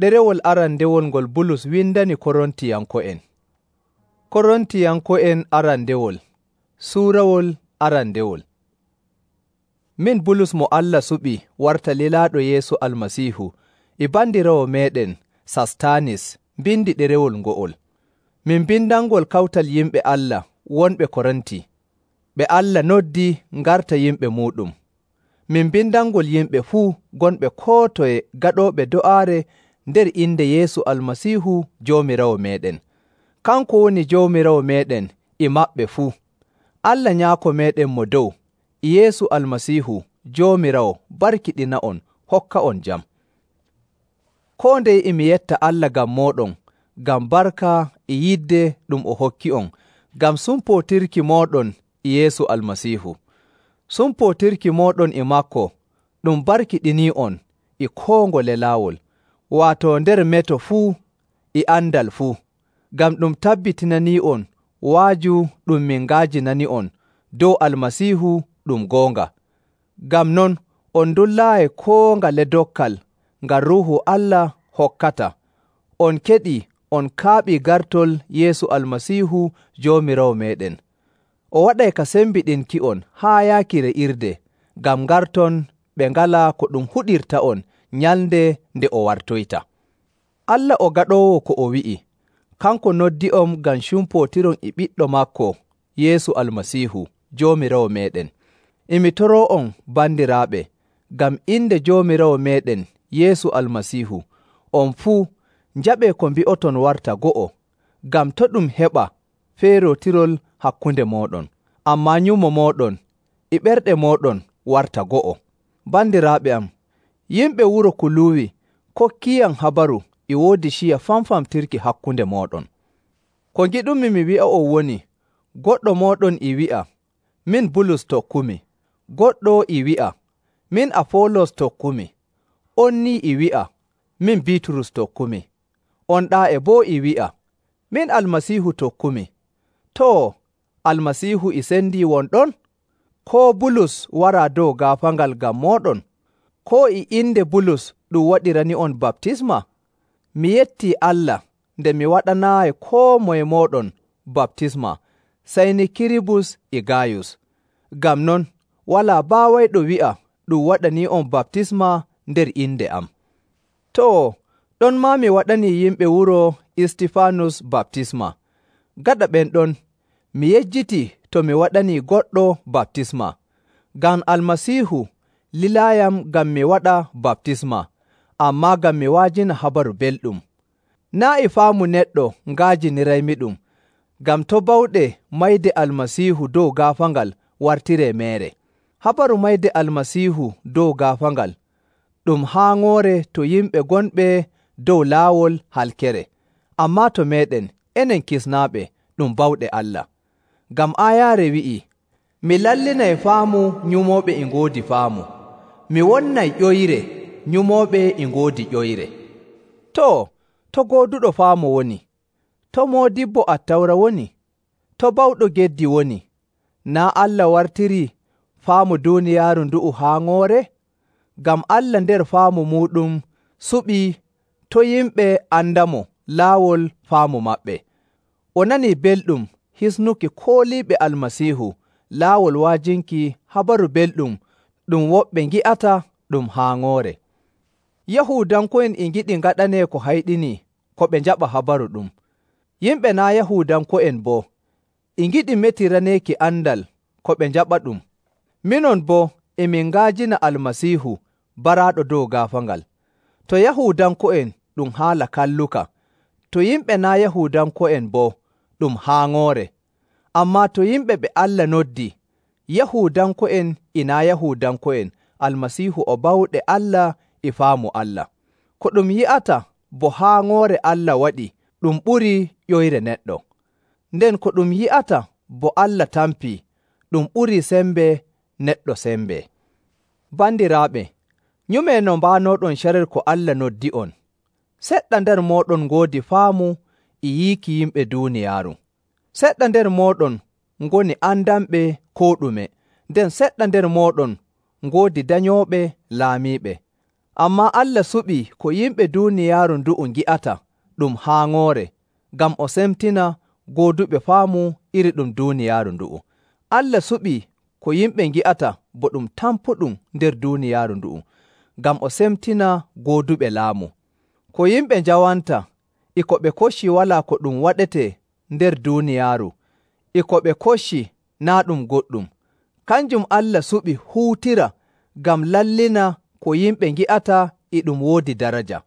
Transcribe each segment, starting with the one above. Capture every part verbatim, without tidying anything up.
Ɗerewol arandewol ngol Bulus windani Korontiyanko'en. Korontiyanko'en arandewol Suurawol arandewol. Min Bulus mo Allah suɓi warta lilaaɗo Yeesu Almasiihu e bandiraawo meeɗen Sastanis mbindi ɗerewol ngo'ol. Min mbindangol kawtal yimɓe Allah wonɓe Korinti, ɓe Allah noddi ngarta yimɓe muuɗum. Min mbindangol yimɓe fuu gonɓe koo toye gaɗooɓe do'aare nder inde Yeesu Almasiihu Joomiraawo meeɗen. Kanko woni Joomiraawo meeɗen e maɓɓe fuu. Allah Nyaako meeɗen mo dow e Yeesu Almasiihu Joomiraawo barkiɗina'on hokka'on jam. Koo ndeye e mi yetta Allah ngam mooɗon, ngam barka e yidde ɗum o hokki'on, ngam sumpootirki mooɗon e Yeesu Almasiihu. Sumpootirki mooɗon e maako ɗum barkiɗinii'on e koo ngole laawol, waato nder meto fuu e andal fuu, ngam ɗum tabbitinanii'on waaju ɗum min nga'ajinani'on dow Almasiihu ɗum goonga. Ngam non, on ndullaayi koo ngale dokkal ngam Ruuhu Allah hokkata. On keɗii on kaaɓii gartol Yeesu Almasiihu Joomiraawo meeɗen. O waɗay ka sembiɗinki'on haa yaaki re'irde, ngam ngarton ɓe ngalaa ko ɗum huɗirta'on nyalnde nde o wartoyta. Allah o gaɗoowo ko o wi'i, kanko noddi'on ngam cumpootiron e ɓiɗɗo maako Yeesu Almasiihu Joomiraawo meeɗen. E mi toroo'on bandiraaɓe, ngam inde Joomiraawo meeɗen Yeesu Almasiihu, on fuu njaɓee ko mbi'oton warta go'o, ngam to' ɗum heɓa feerootirol hakkunde mooɗon, ammaa nyumo mooɗon e ɓerɗe mooɗon warta go'o. Bandiraaɓe am, yimɓe wuro Kuluuwi kokkiiyam habaru e woodi ciya famfamtirki hakkunde mooɗon. Ko ngiɗumi mi wi'a'on woni, goɗɗo mooɗon e wi'a, min Bulus tokkumi, goɗɗo e wi'a, min Afoolos tokkumi, on ni e wi'a, min Biiturus tokkumi, on ɗaa e boo e wi'a, min Almasiihu tokkumi. Too, Almasiihu e sendii won ɗon? Koo Bulus waraa dow gaafaangal ngam mooɗon? Koo e inde Bulus ɗum waɗirani'on baptisma? Mi yettii Allah nde mi waɗanaayi koo moye mooɗon baptisma, sey ni Kiribus e Gayus. Ngam non, walaa baawayɗo wi'a ɗum waɗanii'on baptisma nder inde am. Too, ɗon maa mi waɗanii yimɓe wuro Istifaanus baptisma. Gaɗa ɓen ɗon, mi yejjitii to mi waɗanii goɗɗo baptisma, ngam Almasiihu lilaayam ngam mi waɗa baptisma, ammaa ngam mi wa'ajina habaru belɗum. Naa' e faamu neɗɗo nga'ajiniraymiɗum, ngam to' bawɗe mayde Almasiihu dow gaafaangal wartiree meere. Habaru mayde Almasiihu dow gaafaangal ɗum haaŋoore to yimɓe gonɓe dow laawol halkere, ammaa to meeɗen enen kisnaaɓe ɗum bawɗe Allah. Ngam aayaare wi'ii, mi lallinay faamu nyumooɓe e ngoodi faamu, mi wonnay ƴoyre nyumooɓe e ngoodi ƴoyre. Too, to gooduɗo faamu woni? To moodibbo Attawra woni? To bawɗo geddi woni? Naa' Allah wartirii faamu duuniyaaru ndu'u haaŋoore? Ngam Allah nder faamu muuɗum suɓii to yimɓe andamo laawol faamu maɓɓe. O nanii belɗum hisnuki kooliiɓe Almasiihu laawol wa'ajinki habaru belɗum ɗum woɓɓe ngi'ata ɗum haaŋoore. Yahuudanko'en e ngiɗi ngaɗanee ko hayɗinii ko ɓe njaɓa habaru ɗum. Yimɓe naa' Yahuudanko'en boo e ngiɗi metiraneeki andal ko ɓe njaɓa ɗum. Minon boo e min nga'ajina Almasiihu baraaɗo dow gaafaangal. To Yahuudanko'en ɗum haala kalluka, to yimɓe naa' Yahuudanko'en boo ɗum haaŋoore. Ammaa to yimɓe ɓe Allah noddi, Yahuudanko'en e naa' Yahuudanko'en, Almasiihu o bawɗe Allah e faamu Allah. Ko ɗum yi'ata bo haaŋoore Allah waɗi ɗum ɓurii ƴoyre neɗɗo. Nden ko ɗum yi'ata bo Allah tampii ɗum ɓurii sembe neɗɗo sembe. Bandiraaɓe, nyumee no mbaanooɗon carel ko Allah noddi'on. Seɗɗa nder mooɗon ngoodi faamu e yiiki yimɓe duuniyaaru. Seɗɗa nder mooɗon ngoni andanɓe koo ɗume, nden seɗɗa nder mooɗon ngoodi danyooɓe laamiiɓe. Ammaa Allah suɓii ko yimɓe duuniyaaru ndu'u ngi'ata ɗum haaŋoore ngam o semtina gooduɓe faamu iri ɗum duuniyaaru ndu'u. Allah suɓii ko yimɓe ngi'ata bo ɗum tampuɗum nder duuniyaaru ndu'u, ngam o semtina gooduɓe laamu. Ko yimɓe njawanta e ko ɓe kocci walaa ko ɗum waɗetee nder duuniyaaru, e ko ɓe kocci naa' ɗum goɗɗum. Kanjum Allah suɓi huutira ngam lallina ko yimɓe ngi'ata e ɗum woodi daraja.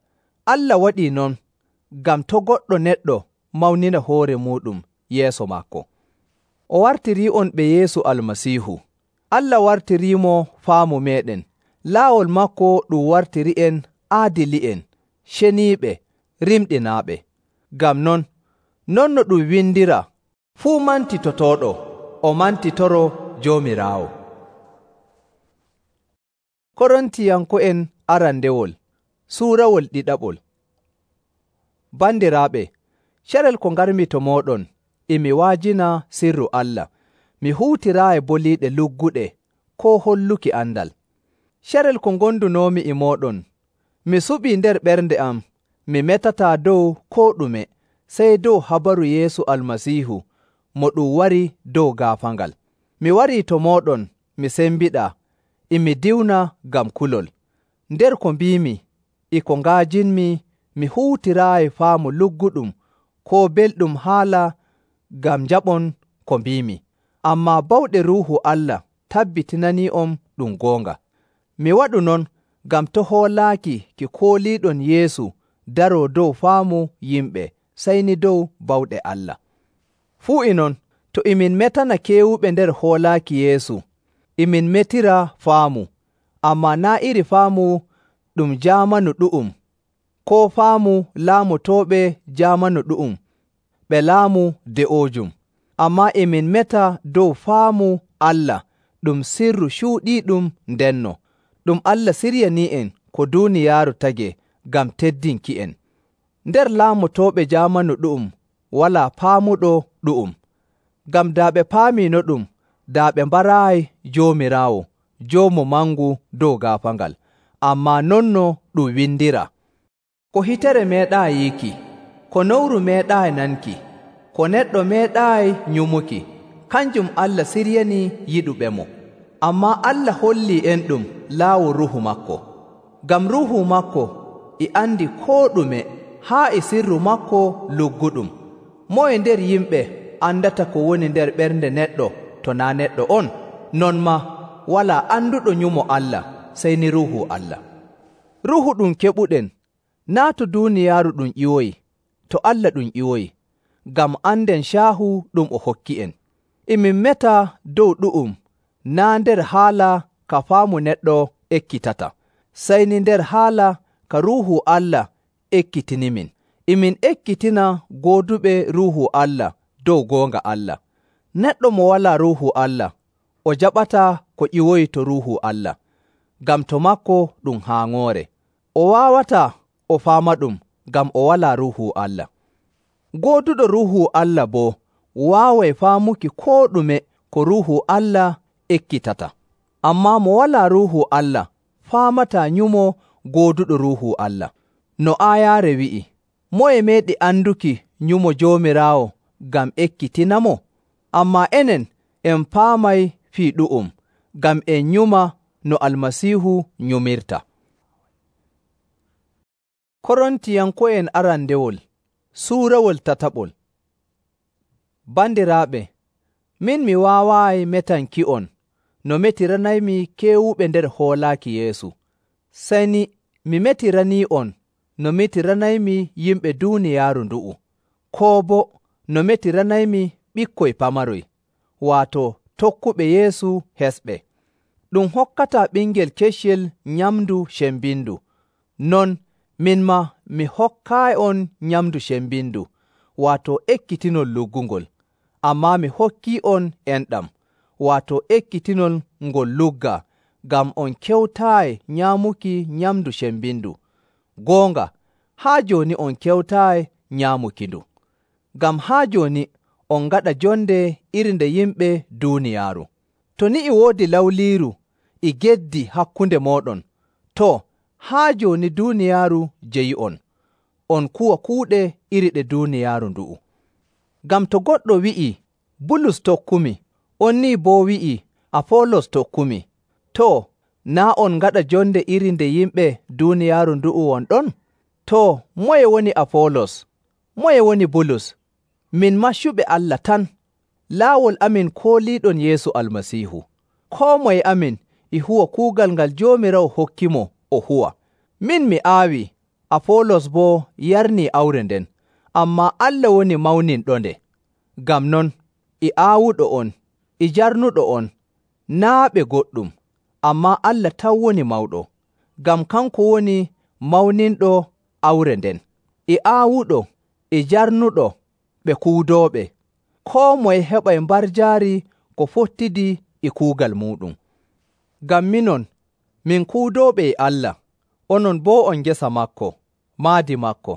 Allah waɗii non ngam to' goɗɗo neɗɗo mawnina hoore muuɗum yeeso maako. O wartirii'on ɓe Yeesu Almasiihu. Allah wartiriimo faamu meeɗen. Laawol maako ɗum wartiri'en aadili'en, ceniiɓe, rimɗinaaɓe. Ngam non, non no ɗum windiraa, fuu mantitotooɗo, o mantitoro Joomiraawo. Korontiyanko'en arandewol suurawol ɗiɗaɓol. Bandiraaɓe, carel ko ngarmi to mooɗon e mi wa'ajina sirru Allah, mi huutiraayi boliiɗe lugguɗe koo holluki andal. Carel ko ngondunoomi e mooɗon, mi suɓii nder ɓernde am mi metataa dow koo ɗume sey dow habaru Yeesu Almasiihu mo ɗum wari dow gaafaangal. Mi warii to mooɗon mi sembiɗaa, e mi diwna ngam kulol. Nder ko mbiimi e ko nga'ajinmi mi huutiraayi faamu lugguɗum koo belɗum haala ngam njaɓon ko mbiimi. Ammaa bawɗe Ruuhu Allah tabbitinanii'on ɗum goonga. Mi waɗu non ngam to' hoolaaki ki kooliiɗon Yeesu daroo dow faamu yimɓe, sey ni dow bawɗe Allah. Fuu e non, to e min metana keewuɓe nder hoolaaki Yeesu, e min metira faamu, ammaa naa' iri faamu ɗum jaamanu ɗu'um, koo faamu laamotooɓe jaamanu ɗu'um ɓe laamu de'oojum, ammaa e min meta dow faamu Allah ɗum sirru cuuɗiiɗum ndenno, ɗum Allah siryanii'en ko duuniyaaru tagee ngam teddinki'en. Nder laamotooɓe jaamanu ɗu'um walaa paamuɗo ɗu'um, ngam daa ɓe paamiino ɗum, daa ɓe mbaraayi Joomiraawo, Joomu mangu dow gaafaangal. Ammaa non no ɗum windiraa, ko hitere meeɗaayi yiiki, ko nowru meeɗaayi nanki, ko neɗɗo meeɗaayi nyumuki, kanjum Allah siryanii yiɗuɓemo. Ammaa Allah hollii en ɗum laawol Ruuhu maako, ngam Ruuhu maako e andi koo ɗume haa e sirru maako lugguɗum. Moye nder yimɓe andata ko woni nder ɓernde neɗɗo to naa' neɗɗo on? Non maa walaa anduɗo nyumo Allah sey ni Ruuhu Allah. Ruuhu ɗum keɓuɗen naa' to duuniyaaru ɗum ƴiwoyi, to Allah ɗum ƴiwoyi, ngam anden caahu ɗum o hokki'en. E min meta dow ɗu'um naa' nder haala ka faamu neɗɗo ekkitata, sey ni nder haala ka Ruuhu Allah ekkitinimin. E min ekkitina gooduɓe Ruuhu Allah dow goonga Allah. Neɗɗo mo walaa Ruuhu Allah o jaɓataa ko ƴiwoyi to Ruuhu Allah, ngam to maako ɗum haaŋoore. O waawataa o faamaɗum ngam o walaa Ruuhu Allah. Gooduɗo Ruuhu Allah boo waaway faamuki koo ɗume ko Ruuhu Allah ekkitata. Ammaa mo walaa Ruuhu Allah faamataa nyumo gooduɗo Ruuhu Allah. No aayaare wi'i, moye meeɗi anduki nyumo Joomiraawo ngam ekkitinamo? Ammaa enen en paamay fii ɗu'um, ngam en nyuma no Almasiihu nyumirta. Korontiyanko'en arandewol suurawol tataɓol. Bandiraaɓe, min mi waawaayi metanki'on no metiranaymi keewuɓe nder hoolaaki Yeesu, sey ni mi metiranii'on no metiranaymi yimɓe duuniyaaru ndu'u, koo boo no metiranaymi ɓikkoy pamaroy, waato tokkuɓe Yeesu hesɓe. Ɗum hokkataa ɓingel keccel nyamndu cembindu, non min maa mi hokkaayi'on nyamndu cembindu, waato ekkitinol luggungol, ammaa mi hokkii'on enɗam, waato ekkitinol ngol luggaa, ngam on kewtaayi nyaamuki nyamndu cembindu. Goonga, haa jooni on kewtaayi nyaamukindu, ngam haa jooni on ngaɗa jonde iri nde yimɓe duuniyaaru. To ni e woodi lawliiru e geddi hakkunde mooɗon, too, haa jooni duuniyaaru jeyi'on, on kuwa kuuɗe iri ɗe duuniyaaru ndu'u. Ngam to goɗɗo wi'ii, Bulus tokkumi, on nii boo wi'ii, Afoolos tokkumi, too, naa' on ngaɗa jonde iri nde yimɓe duuniyaaru ndu'u won ɗon? Too, moye woni Afoolos? Moye woni Bulus? Min maccuɓe Allah tan. Laawol amin kooliiɗon Yeesu Almasiihu. Koo moye amin e huwa kuugal ngal Joomiraawo hokkimo o huwa. Min mi aawii, Afoolos boo yarnii awre nden, ammaa Allah woni mawninɗonde. Ngam non, e aawuɗo on, e jarnuɗo on, naa' ɓe goɗɗum, ammaa Allah tan woni mawɗo, ngam kanko woni mawninɗo awre nden. E aawuɗo, e jarnuɗo ɓe kuudooɓe, koo moye heɓay mbarjaari ko fottidi e kuugal muuɗum. Ngam minon, min kuudooɓe e Allah, onon boo on ngesa maako, maadi maako.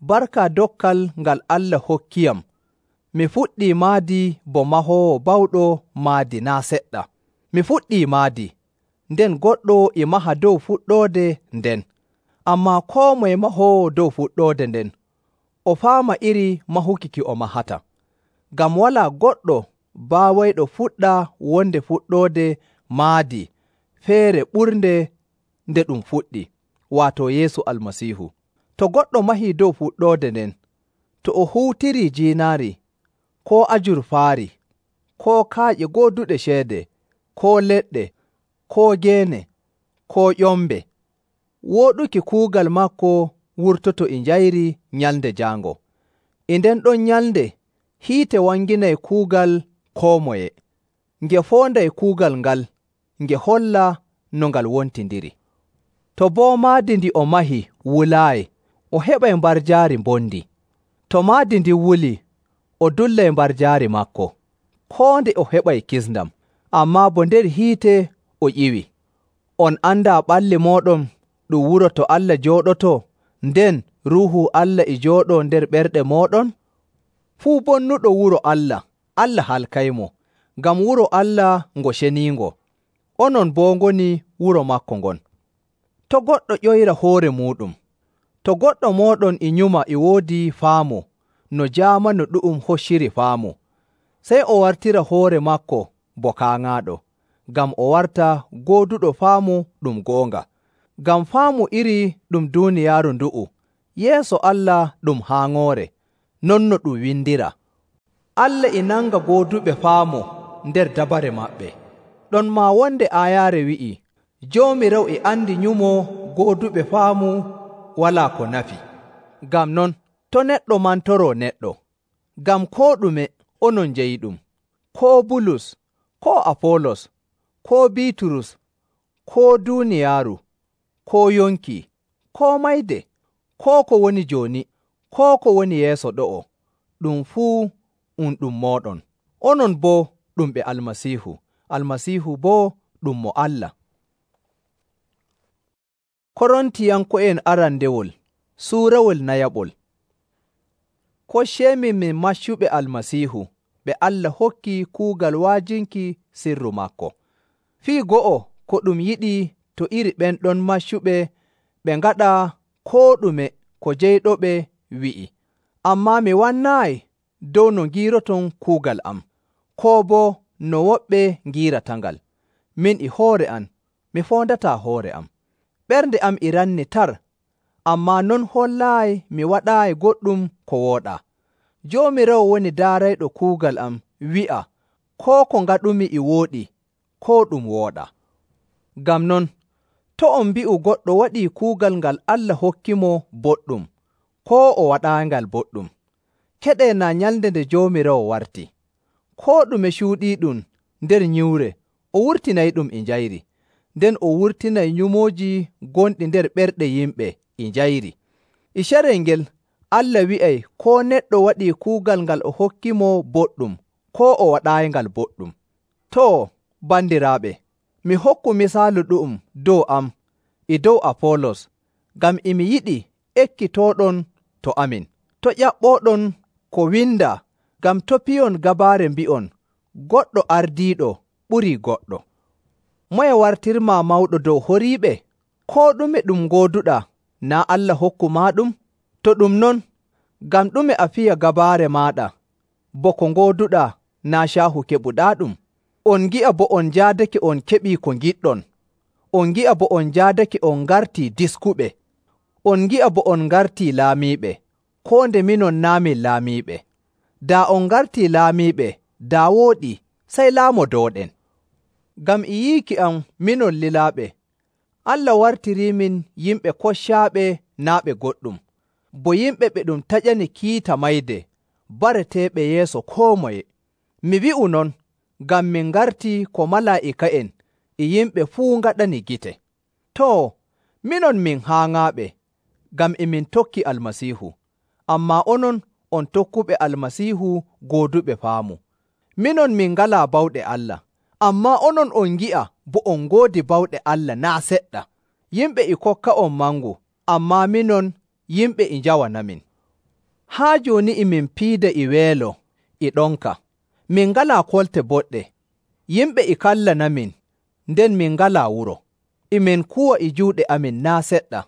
Barka dokkal ngal Allah hokkiyam, mi fuɗɗii maadi bo mahoowo bawɗo maadi naa' seɗɗa. Mi fuɗɗii maadi, nden goɗɗo e maha dow fuɗɗoode nden. Ammaa koo moye mahoowo dow fuɗɗoode nden, o faama iri mahuki ki o mahata. Ngam walaa goɗɗo baawayɗo fuɗɗa wonde fuɗɗoode maadi feere ɓurnde nde ɗum fuɗɗi, waato Yeesu Almasiihu. To goɗɗo mahii dow fuɗɗoode nden, to o huutirii jiinaari, koo ajurfaari, koo kaaƴe gooduɗe ceede, koo leɗɗe, koo geene, koo ƴombe, wooɗuki kuugal maako wurtoto e njayri nyalnde jaango. E nden ɗon nyalnde hiite wanginay kuugal koo moye, nge foonday kuugal ngal, nge holla no ngal wontindiri. To boo maadi ndi o mahi wulaayi, o heɓay mbarjaari mbondi. To maadi ndin wulii, o dullay mbarjaari maako, koo nde o heɓay kisndam, ammaa bo nder hiite o ƴiwi. On andaa ɓalli mooɗon ɗum wuro to Allah jooɗotoo, nden Ruuhu Allah e jooɗoo nder ɓerɗe mooɗon? Fuu bonnuɗo wuro Allah, Allah halkaymo, ngam wuro Allah ngo ceniingo, onon boo ngoni wuro maako ngon. To goɗɗo ƴoyra hoore muuɗum, to goɗɗo mooɗon e nyuma e woodi faamu, no jaamanu ɗu'um hocciri faamu, sey o wartira hoore maako bo kaaŋaaɗo, ngam o warta gooduɗo faamu ɗum goonga. Ngam faamu iri ɗum duuniyaaru ndu'u, yeeso Allah ɗum haaŋoore, non no ɗum windira. Allah e nanga gooduɓe faamu nder dabare maɓɓe. Ɗon maa wonde aayaare wi'i, Joomiraawo e andi nyumo gooduɓe faamu walaa ko nafi. Ngam non, to neɗɗo mantoroo neɗɗo, ngam koo ɗume onon njeyiɗum, koo Bulus, koo Afoolos, koo Biiturus, koo duuniyaaru, koo yonki, koo mayde, koo ko woni jooni, koo ko woni yeeso ɗo'o, ɗum fuu um ɗum mooɗon. Onon boo ɗum ɓe Almasiihu, Almasiihu boo ɗum mo Allah. Korontiyanko'en arandewol suurawol nayaɓol. Kocceemin min maccuɓe Almasiihu ɓe Allah hokki kuugal wa'ajinki sirru maako. Fii go'o ko ɗum yiɗi to iri ɓen ɗon maccuɓe ɓe ngaɗa koo ɗume ko jeyɗoɓe wi'i. Ammaa mi wannaayi dow no ngiiroton kuugal am, koo boo no woɓɓe ngiiratangal. Min e hoore am, mi foondataa hoore am. Ɓernde am e ranni tar, ammaa non hollaayi mi waɗaayi goɗɗum ko wooɗaa. Joomiraawo woni daarayɗo kuugal am wi'a koo ko ngaɗumi e wooɗi, koo ɗum wooɗaa. Ngam non, to on mbi'u goɗɗo waɗii kuugal ngal Allah hokkimo boɗɗum, koo o waɗaangal boɗɗum, keɗee naa nyalnde nde Joomiraawo warti. Koo ɗume cuuɗiiɗum nder nyiwre, o wurtinayɗum e njayri, nden o wurtinay nyumooji gonɗi nder ɓerɗe yimɓe e njayri. E carel ngel, Allah wi'ay koo neɗɗo waɗii kuugal ngal o hokkimo boɗɗum, koo o waɗaayingal boɗɗum. Too, bandiraaɓe, mi hokku misaalu ɗu'um dow am e dow Afoolos, ngam e mi yiɗi ekkitooɗon to amin. To ƴaɓɓooɗon ko windaa, ngam to piyon gabaare mbi'on, goɗɗo ardiiɗo ɓurii goɗɗo. Moye wartirmaa mawɗo dow horiiɓe? Koo ɗume ɗum gooduɗaa, naa Allah hokku maaɗum? To ɗum non, ngam ɗume a fiya gabaare maaɗa, bo ko ngooduɗaa naa caahu keɓuɗaaɗum? On ngi'a bo on njaadake on keɓii ko ngiɗɗon. On ngi'a bo on njaadake on ngartii diskuɓe. On ngi'a bo on ngartii laamiiɓe, koo nde minon naa' min laamiiɓe. Daa on ngartii laamiiɓe, daa wooɗii, sey laamodooɗen. Ngam e yiiki am minon lilaaɓe, Allah wartiriimin yimɓe koccaaɓe naa' ɓe goɗɗum, bo yimɓe ɓe ɗum taƴani kiita mayde, bareteeɓe yeeso koo moye. Mi wi'u non ngam min ngartii ko malaa'ika'en e yimɓe fuu ngaɗani gite. Too, minon min haaŋaaɓe, ngam e min tokki Almasiihu, ammaa onon on tokkuɓe Almasiihu gooduɓe faamu. Minon min ngalaa bawɗe Allah, ammaa onon on ngi'a bo on ngoodi bawɗe Allah naa' seɗɗa. Yimɓe e kokka'on mangu, ammaa minon yimɓe e njawanamin. Haa jooni e min piida e weelo e ɗonka. Min ngalaa kolte boɗɗe. Yimɓe e kallanamin, nden min ngalaa wuro. E min kuwa e juuɗe amin naa' seɗɗa.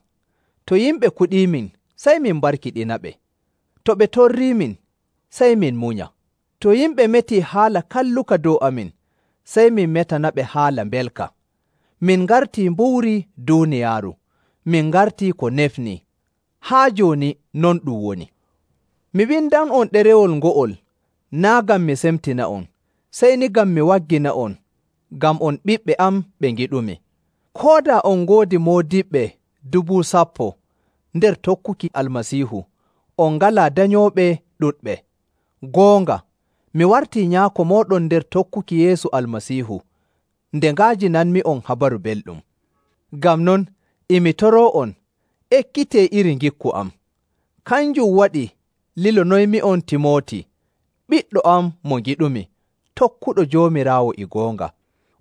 To yimɓe kuɗiimin, sey min barkiɗinaɓe. To ɓe torriimin, sey min munya. To yimɓe metii haala kalluka dow amin, sey min metanaɓe haala mbelka. Min ngartii mbuwri duuniyaaru, min ngartii ko nefnii. Haa jooni non ɗum woni. Mi windan'on ɗerewol ngo'ol, naa' ngam mi semtina'on, sey ni ngam mi waggina'on, ngam on ɓiɓɓe am ɓe ngiɗumi. Koo daa on ngoodi moodiɓɓe dubu sappo nder tokkuki Almasiihu, on ngalaa danyooɓe ɗuɗɓe. Goonga, mi wartii nyaako mooɗon nder tokkuki Yeesu Almasiihu, nde nga'ajinanmi'on habaru belɗum. Ngam non, e mi toroo'on, ekkitee iri ngikku am. Kanjum waɗi lilonoymi'on Timooti, ɓiɗɗo am mo ngiɗumi, tokkuɗo Joomiraawo e goonga.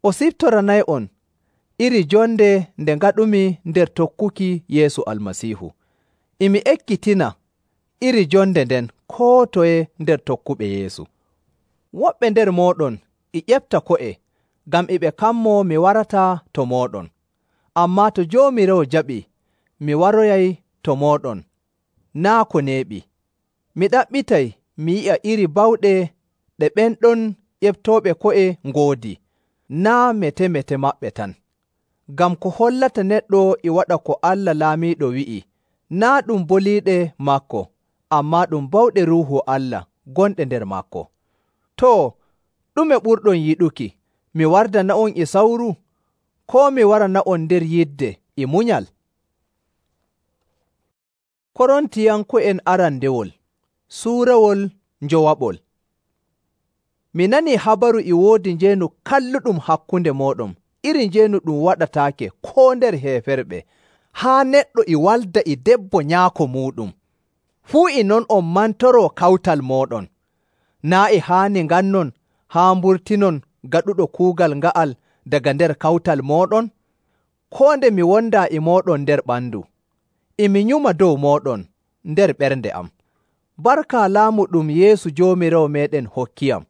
O siftoranay'on iri jonde nde ngaɗumi nder tokkuki Yeesu Almasiihu. E mi ekkitina iri jonde nden koo toye nder tokkuɓe Yeesu. Woɓɓe nder mooɗon e ƴefta ko'e, ngam e ɓe kammoo mi warataa to mooɗon. Ammaa to Joomiraawo jaɓii, mi waroyay to mooɗon, naa' ko neeɓi. Mi ɗaɓɓitay mi yi'a iri bawɗe ɗe ɓen ɗon ƴeftooɓe ko'e ngoodi, naa' mete-mete maɓɓe tan. Ngam ko hollata neɗɗo e waɗa ko Allah Laamiiɗo wi'i, naa' ɗum boliiɗe maako, ammaa ɗum bawɗe Ruuhu Allah gonɗe nder maako. Too, ɗume ɓurɗon yiɗuki, mi wardana'on e sawru, koo mi warana'on nder yidde e munyal? Korontiyanko'en arandewol suurawol njowaɓol. Mi nanii habaru e woodi njeenu kalluɗum hakkunde mooɗon, iri njeenu ɗum waɗataake koo nder heeferɓe, haa neɗɗo e walda e debbo nyaako muuɗum. Fuu e non on mantoroo kawtal mooɗon. Naa' e haani ngannon haa mburtinon gaɗuɗo kuugal nga'al daga nder kawtal mooɗon? Koo nde mi wondaa e mooɗon nder ɓandu, e mi nyuma dow mooɗon nder ɓernde am. Barka laamu ɗum Yeesu Joomiraawo meeɗen hokkiyam.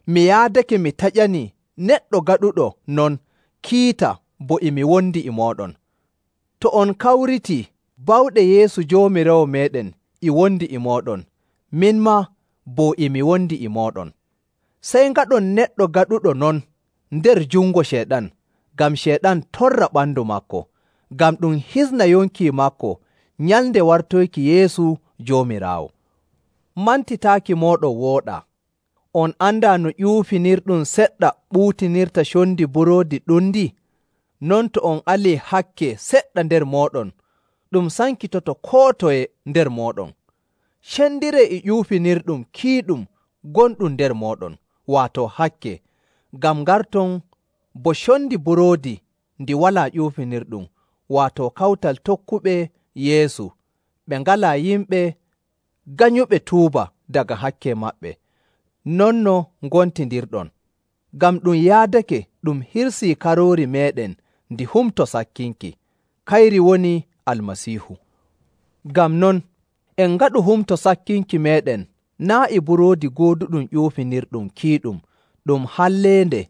Mi yaadake mi taƴanii neɗɗo gaɗuɗo non kiita bo e mi wondi e mooɗon. To on kawritii bawɗe Yeesu Joomiraawo meeɗen e wondi e mooɗon, min maa bo e mi wondi e mooɗon. Sey ngaɗon neɗɗo gaɗuɗo non nder jungo Ceyɗan, ngam Ceyɗan torra ɓandu maako, ngam ɗum hisna yonki maako nyalnde wartoyki Yeesu Joomiraawo. Mantitaaki mooɗon wooɗaa. On andaa no ƴuufinirɗum seɗɗa ɓuutinirta condi buroodi ɗundi? Non to on alii hakke seɗɗa nder mooɗon, ɗum sankitoto koo toye nder mooɗon. Cendiree e ƴuufinirɗum kiiɗum gonɗum nder mooɗon, waato hakke, ngam ngarton bo condi buroodi ndi walaa ƴuufinirɗum, waato kawtal tokkuɓe Yeesu, ɓe ngalaa yimɓe ganyuɓe tuuba daga hakke maɓɓe. Non no ngontindirɗon, ngam ɗum yaadake ɗum hirsii karoori meeɗen ndi humto sakkinki, kayri woni Almasiihu. Ngam non, en ngaɗu humto sakkinki meeɗen naa' e buroodi gooduɗum ƴuufinirɗum kiiɗum ɗum halleende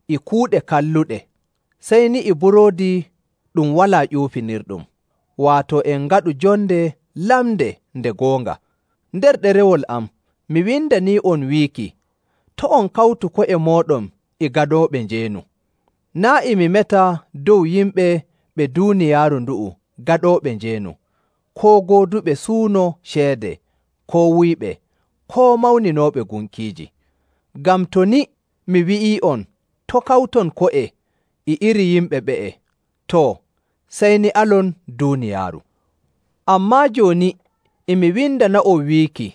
e kuuɗe kalluɗe, sey ni e buroodi ɗum walaa ƴuufinirɗum, waato en ngaɗu jonde lamnde nde goonga. Nder ɗerewol am, mi windanii'on wiiki, to' on kawtu ko'e mooɗon e gaɗooɓe njeenu. Naa' e mi meta dow yimɓe ɓe duuniyaaru ndu'u gaɗooɓe njeenu, koo gooduɓe suuno ceede, koo wuyɓe, koo mawninooɓe gunkiiji. Ngam to ni mi wi'ii'on to' kawton ko'e e iri yimɓe ɓe'e, too, sey ni alon duuniyaaru. Ammaa jooni e mi windana'on wiiki,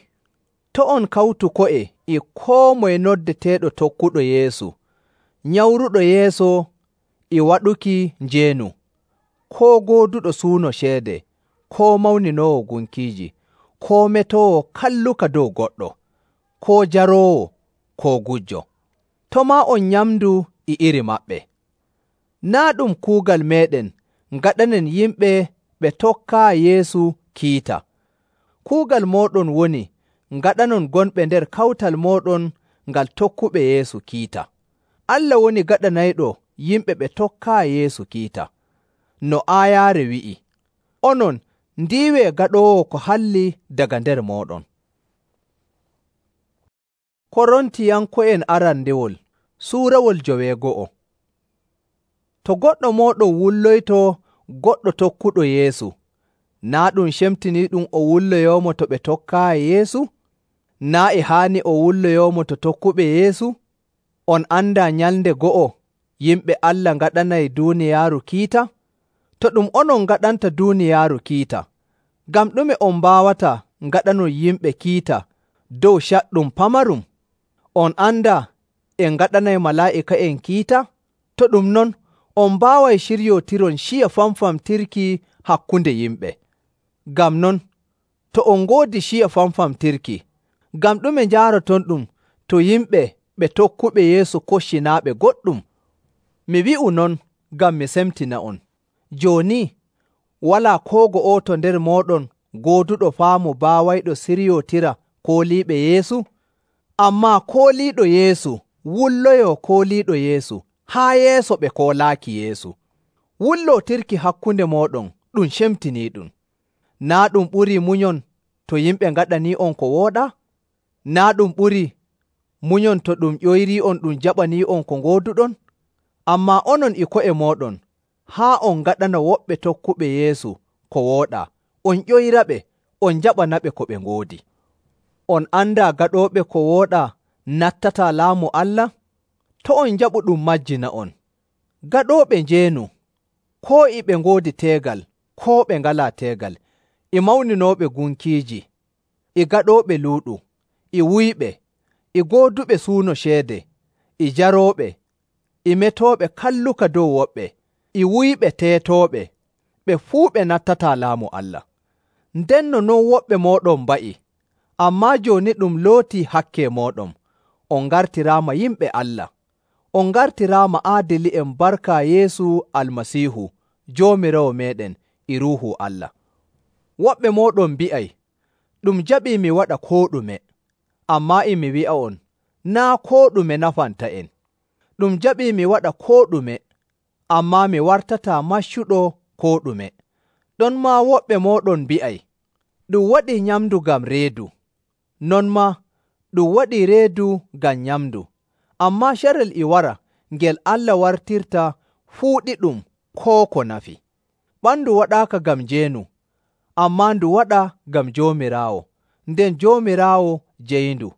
to' on kawtu ko'e e koo moye noddeteeɗo tokkuɗo Yeesu, nyawruɗo yeeso e waɗuki njeenu, koo gooduɗo suuno ceede, koo mawninoowo gunkiiji, koo metoowo kalluka dow goɗɗo, koo jaroowo, koo gujjo. To' maa on nyamdu e iri maɓɓe. Naa' ɗum kuugal meeɗen ngaɗanen yimɓe ɓe tokkaa Yeesu kiita. Kuugal mooɗon woni ngaɗanon gonɓe nder kawtal mooɗon ngal tokkuɓe Yeesu kiita. Allah woni gaɗanayɗo yimɓe ɓe tokkaa Yeesu kiita. No aayaare wi'i, onon ndiiwee gaɗoowo ko halli daga nder mooɗon. Korontiyanko'en arandewol suurawol joweego'o. To goɗɗo mooɗon wulloyto goɗɗo tokkuɗo Yeesu, naa' ɗum cemtiniiɗum o wulloyoomo to ɓe tokkaayi Yeesu? Naa' e haani o wulloyoomo to tokkuɓe Yeesu? On andaa nyalnde go'o yimɓe Allah ngaɗanay duuniyaaru kiita? To ɗum onon ngaɗanta duuniyaaru kiita, ngam ɗume on mbaawata ngaɗanon yimɓe kiita dow caɗɗum pamarum? On andaa en ngaɗanay malaa'ika'en kiita? To ɗum non, on mbaaway ciryootiron ciya famfamtirki hakkunde yimɓe. Ngam non, to on ngoodi ciya famfamtirki, ngam ɗume njaaroton ɗum to yimɓe ɓe tokkuɓe Yeesu koccinaaɓe goɗɗum? Mi wi'u non ngam mi semtina'on. Jooni, walaa koo go'oto nder mooɗon gooduɗo faamu baawayɗo siryootira kooliiɓe Yeesu? Ammaa kooliiɗo Yeesu wulloyoo kooliiɗo Yeesu haa yeeso ɓe koolaaki Yeesu. Wullootirki hakkunde mooɗon ɗum cemtiniiɗum. Naa' ɗum ɓurii munyon to yimɓe ngaɗanii'on ko wooɗaa? Naa' ɗum ɓurii munyon to ɗum ƴoyrii'on ɗum jaɓanii'on ko ngooduɗon? Ammaa onon e ko'e mooɗon, haa on ngaɗana woɓɓe tokkuɓe Yeesu ko wooɗaa, on ƴoyraɓe, on jaɓanaɓe ko ɓe ngoodi. On andaa gaɗooɓe ko wooɗaa nattataa laamu Allah? To on njaɓu ɗum majjina'on. Gaɗooɓe njeenu, koo e ɓe ngoodi teegal, koo ɓe ngalaa teegal, e mawninooɓe gunkiiji, e gaɗooɓe luuɗu, e wuyɓe, e gooduɓe suuno ceede, e jarooɓe, e metooɓe kalluka dow woɓɓe, e wuyɓe teetooɓe, ɓe fuu ɓe nattataa laamu Allah. Ndenno non woɓɓe mooɗon mba'i, ammaa jooni ɗum lootii hakke mooɗon, on ngartiraama yimɓe Allah. On ngartiraama aadili'en barka Yeesu Almasiihu, Joomiraawo meeɗen e Ruuhu Allah. Woɓɓe mooɗon mbi'ay, ɗum jaɓii mi waɗa koo ɗume, ammaa e mi wi'a'on, naa' koo ɗume nafanta'en. Ɗum jaɓii mi waɗa koo ɗume, ammaa mi wartataa maccuɗo koo ɗume. Ɗonmaa woɓɓe mooɗon mbi'ay, ɗum waɗii nyamndu ngam reedu, non maa ɗum waɗii reedu ngam nyamndu, ammaa carel e wara ngel Allah wartirta fuuɗiɗum koo ko nafi. Ɓandu waɗaaka ngam njeenu, ammaa ndu waɗa ngam Joomiraawo, nden Joomiraawo jeyindu.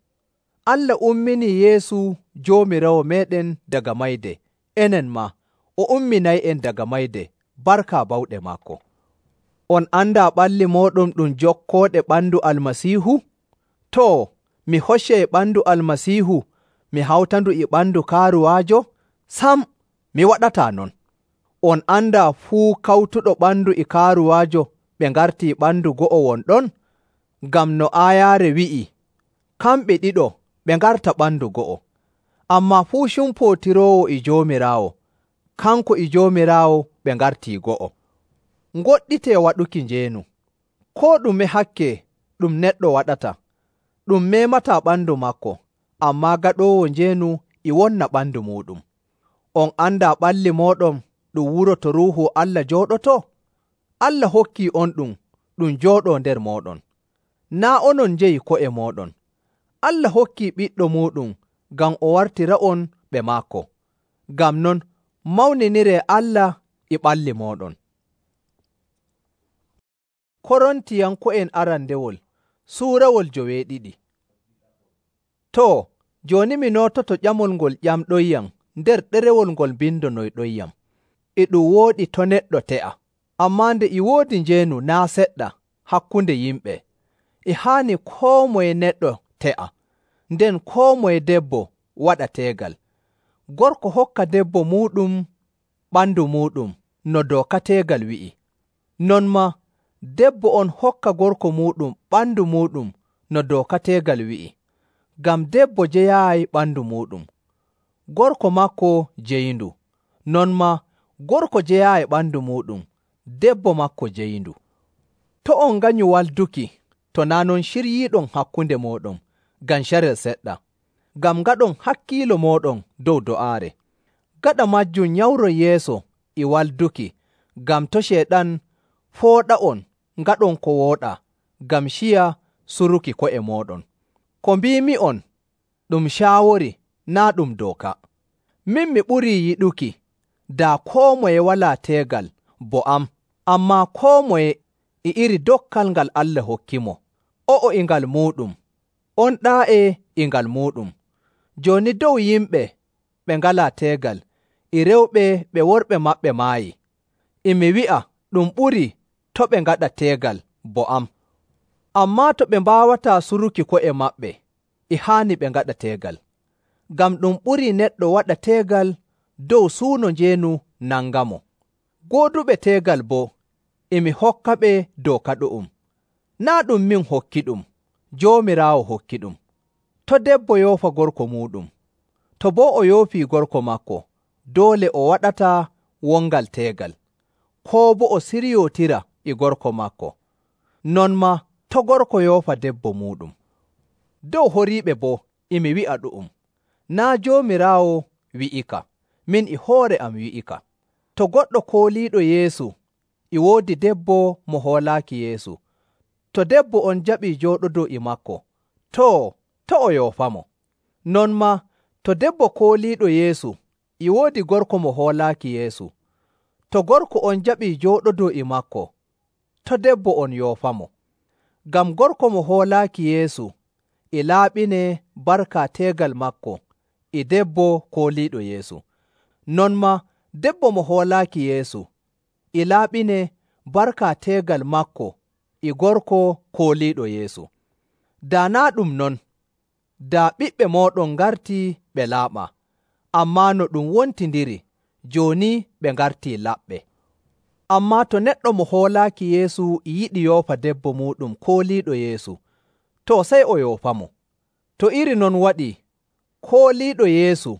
Allah umminii Yeesu Joomiraawo meeɗen daga mayde, enen maa o umminay'en daga mayde, barka bawɗe maako. On andaa ɓalli mooɗon ɗum jokkooɗe ɓandu Almasiihu? Too, mi hoccay ɓandu Almasiihu mi hawtandu e ɓandu kaaruwaajo? Sam, mi waɗataa non. On andaa fuu kawtuɗo ɓandu e kaaruwaajo ɓe ngartii ɓandu go'o wonɗon? Ngam no aayaare wi'i, kamɓe ɗiɗo ɓe ngarta ɓandu go'o. Ammaa fuu cumpootiroowo e Joomiraawo, kanko e Joomiraawo ɓe ngartii go'o. Ngoɗɗitee waɗuki njeenu. Koo ɗume hakke ɗum neɗɗo waɗata, ɗum meemataa ɓandu maako, ammaa gaɗoowo njeenu e wonna ɓandu muuɗum. On andaa ɓalli mooɗon ɗum wuro to Ruuhu Allah jooɗotoo? Allah hokkii on ɗum ɗum jooɗoo nder mooɗon. Naa' onon njeyi ko'e mooɗon. Allah hokkii Ɓiɗɗo muuɗum ngam o wartira'on ɓe maako. Ngam non, mawniniree Allah e ɓalli mooɗon. Korontiyanko'en arandewol suurawol joweeɗiɗi. Too, jooni mi noototo ƴamol ngol ƴamɗoyyam nder ɗerewol ngol mbindonoyɗoyyam. E ɗum wooɗi to neɗɗo te'a, ammaa nde e woodi njeenu naa' seɗɗa hakkunde yimɓe, e haani koo moye neɗɗo te'a, nden koo moye debbo waɗa teegal. Gorko hokka debbo muuɗum ɓandu muuɗum no dooka teegal wi'i. Non maa debbo on hokka gorko muuɗum ɓandu muuɗum no dooka teegal wi'i. Ngam debbo jeyaayi ɓandu muuɗum, gorko maako jeyindu. Non maa gorko jeyaayi ɓandu muuɗum, debbo maako jeyindu. To' on nganyu walduki to naa' non ciryiiɗon hakkunde mooɗon ngam carel seɗɗa, ngam ngaɗon hakkiilo mooɗon dow do'aare. Gaɗa majjum nyawron yeeso e walduki, ngam to' Ceyɗan fooɗa'on ngaɗon ko wooɗaa, ngam ciya suruki ko'e mooɗon. Ko mbiimi'on ɗum caawori naa' ɗum dooka. Min mi ɓurii yiɗuki daa koo moye walaa teegal bo am, ammaa koo moye e iri dokkal ngal Allah hokkimo. O'o e ngal muuɗum, on ɗaa'e e ngal muuɗum. Jooni dow yimɓe ɓe ngalaa teegal, e rewɓe ɓe worɓe maɓɓe maayi. E mi wi'a ɗum ɓurii to' ɓe ngaɗa teegal bo am. Ammaa to ɓe mbaawataa suruki ko'e maɓɓe, e haani ɓe ngaɗa teegal. Ngam ɗum ɓurii neɗɗo waɗa teegal dow suuno njeenu nangamo. Gooduɓe teegal boo, e mi hokkaɓe dooka ɗu'um. Naa' ɗum min hokkiɗum, Joomiraawo hokkiɗum. To' debbo yoofa gorko muuɗum. To boo o yoofii gorko maako, doole o waɗataa wongal teegal, koo boo o siryootira e gorko maako. Non maa to' gorko yoofa debbo muuɗum. Dow horiiɓe boo, e mi wi'a ɗu'um. Naa' Joomiraawo wi'ika, min e hoore am wi'ika. To goɗɗo kooliiɗo Yeesu e woodi debbo mo hoolaaki Yeesu, to debbo on jaɓii jooɗodoo e maako, too, to' o yoofamo. Non maa to debbo kooliiɗo Yeesu e woodi gorko mo hoolaaki Yeesu, to gorko on jaɓii jooɗodoo e maako, to debbo on yoofamo. Ngam gorko mo hoolaaki Yeesu e laaɓinee barka teegal maako e debbo kooliiɗo Yeesu. Non maa debbo mo hoolaaki Yeesu e laaɓinee barka teegal maako e gorko kooliiɗo Yeesu. Daa naa' ɗum non, daa ɓiɓɓe mooɗon ngartii ɓe laaɓaa, ammaa no ɗum wontindiri, jooni ɓe ngartii laɓɓe. Ammaa to neɗɗo mo hoolaaki Yeesu e yiɗi yoofa debbo muuɗum kooliiɗo Yeesu, too sey o yoofamo. To iri non waɗii, kooliiɗo Yeesu,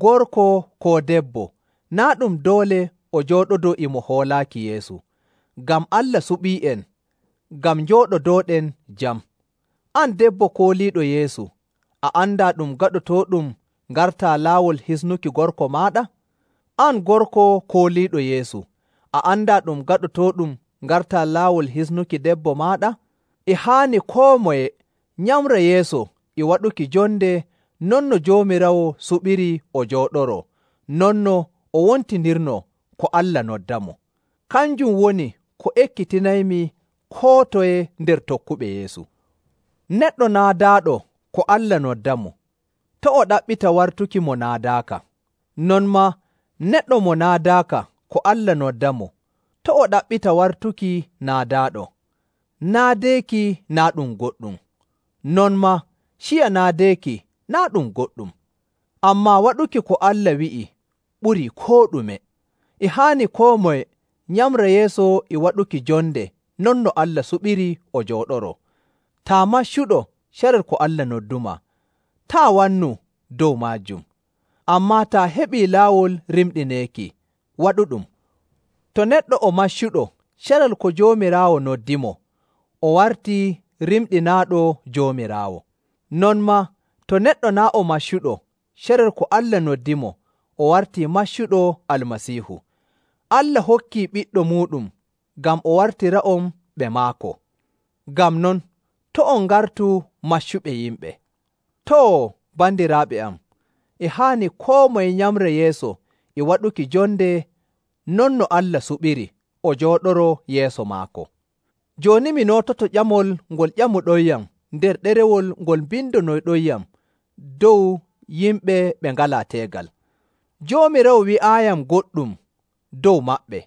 gorko koo debbo, naa' ɗum doole o jooɗodoo e mo hoolaaki Yeesu, ngam Allah suɓii'en, ngam njooɗodooɗen jam. An debbo kooliiɗo Yeesu, a andaa ɗum gaɗotooɗum ngartaa laawol hisnuki gorko maaɗa? An gorko kooliiɗo Yeesu, a andaa ɗum gaɗotooɗum ngartaa laawol hisnuki debbo maaɗa? E haani koo moye nyamra yeeso e waɗuki jonde non no Joomiraawo suɓiri o jooɗoroo, non no o wontindirnoo ko Allah noddamo. Kanjum woni ko ekkitinaymi koo toye nder tokkuɓe Yeesu. Neɗɗo naadaaɗo ko Allah noddamo, to' o ɗaɓɓita wartuki mo naadaaka. Non maa neɗɗo mo naadaaka ko Allah noddamo, to' o ɗaɓɓita wartuki naadaaɗo. Naadeeki naa' ɗum goɗɗum. Non maa ciya naadeeki naa' ɗum goɗɗum. Ammaa waɗuki ko Allah wi'i ɓurii koo ɗume. E haani koo moye nyamra yeeso e waɗuki jonde non no Allah suɓiri o jooɗoroo. Taa maccuɗo carel ko Allah noddumaa, taa wannu dow maajum. Ammaa taa heɓii laawol rimɗineeki, waɗu ɗum. To neɗɗo o maccuɗo carel ko Joomiraawo noddimo, o wartii rimɗinaaɗo Joomiraawo. Non maa to neɗɗo naa' o maccuɗo carel ko Allah noddimo, o wartii maccuɗo Almasiihu. Allah hokkii ɓiɗɗo muuɗum ngam o wartira'on ɓe maako. Ngam non, to' on ngartu maccuɓe yimɓe. Too, bandiraaɓe am, e haani koo moye nyamra yeeso e waɗuki jonde non no Allah suɓiri o jooɗoroo yeeso maako. Jooni mi noototo ƴamol ngol ƴamuɗonyam nder ɗerewol ngol mbindonoyɗonyam dow yimɓe ɓe ngalaa teegal. Joomiraawo wi'aayam goɗɗum dow maɓɓe,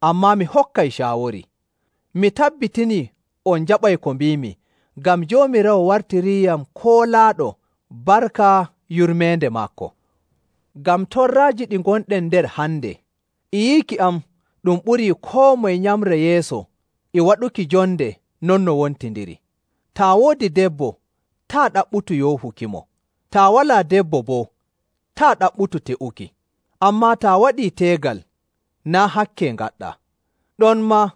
ammaa mi hokkay caawori. Mi tabbitinii on njaɓay ko mbiimi, ngam Joomiraawo wartiriiyam koolaaɗo barka yurmeende maako. Ngam torraaji ɗi ngonɗen nder hande, e yiiki am ɗum ɓurii koo moye nyamra yeeso e waɗuki jonde non no wontindiri. Taa woodi debbo, taa ɗaɓɓutu yoofukimo. Taa walaa debbo boo, taa ɗaɓɓutu te'uki. Ammaa taa waɗii teegal, naa' hakke ngaɗɗaa. Ɗonmaa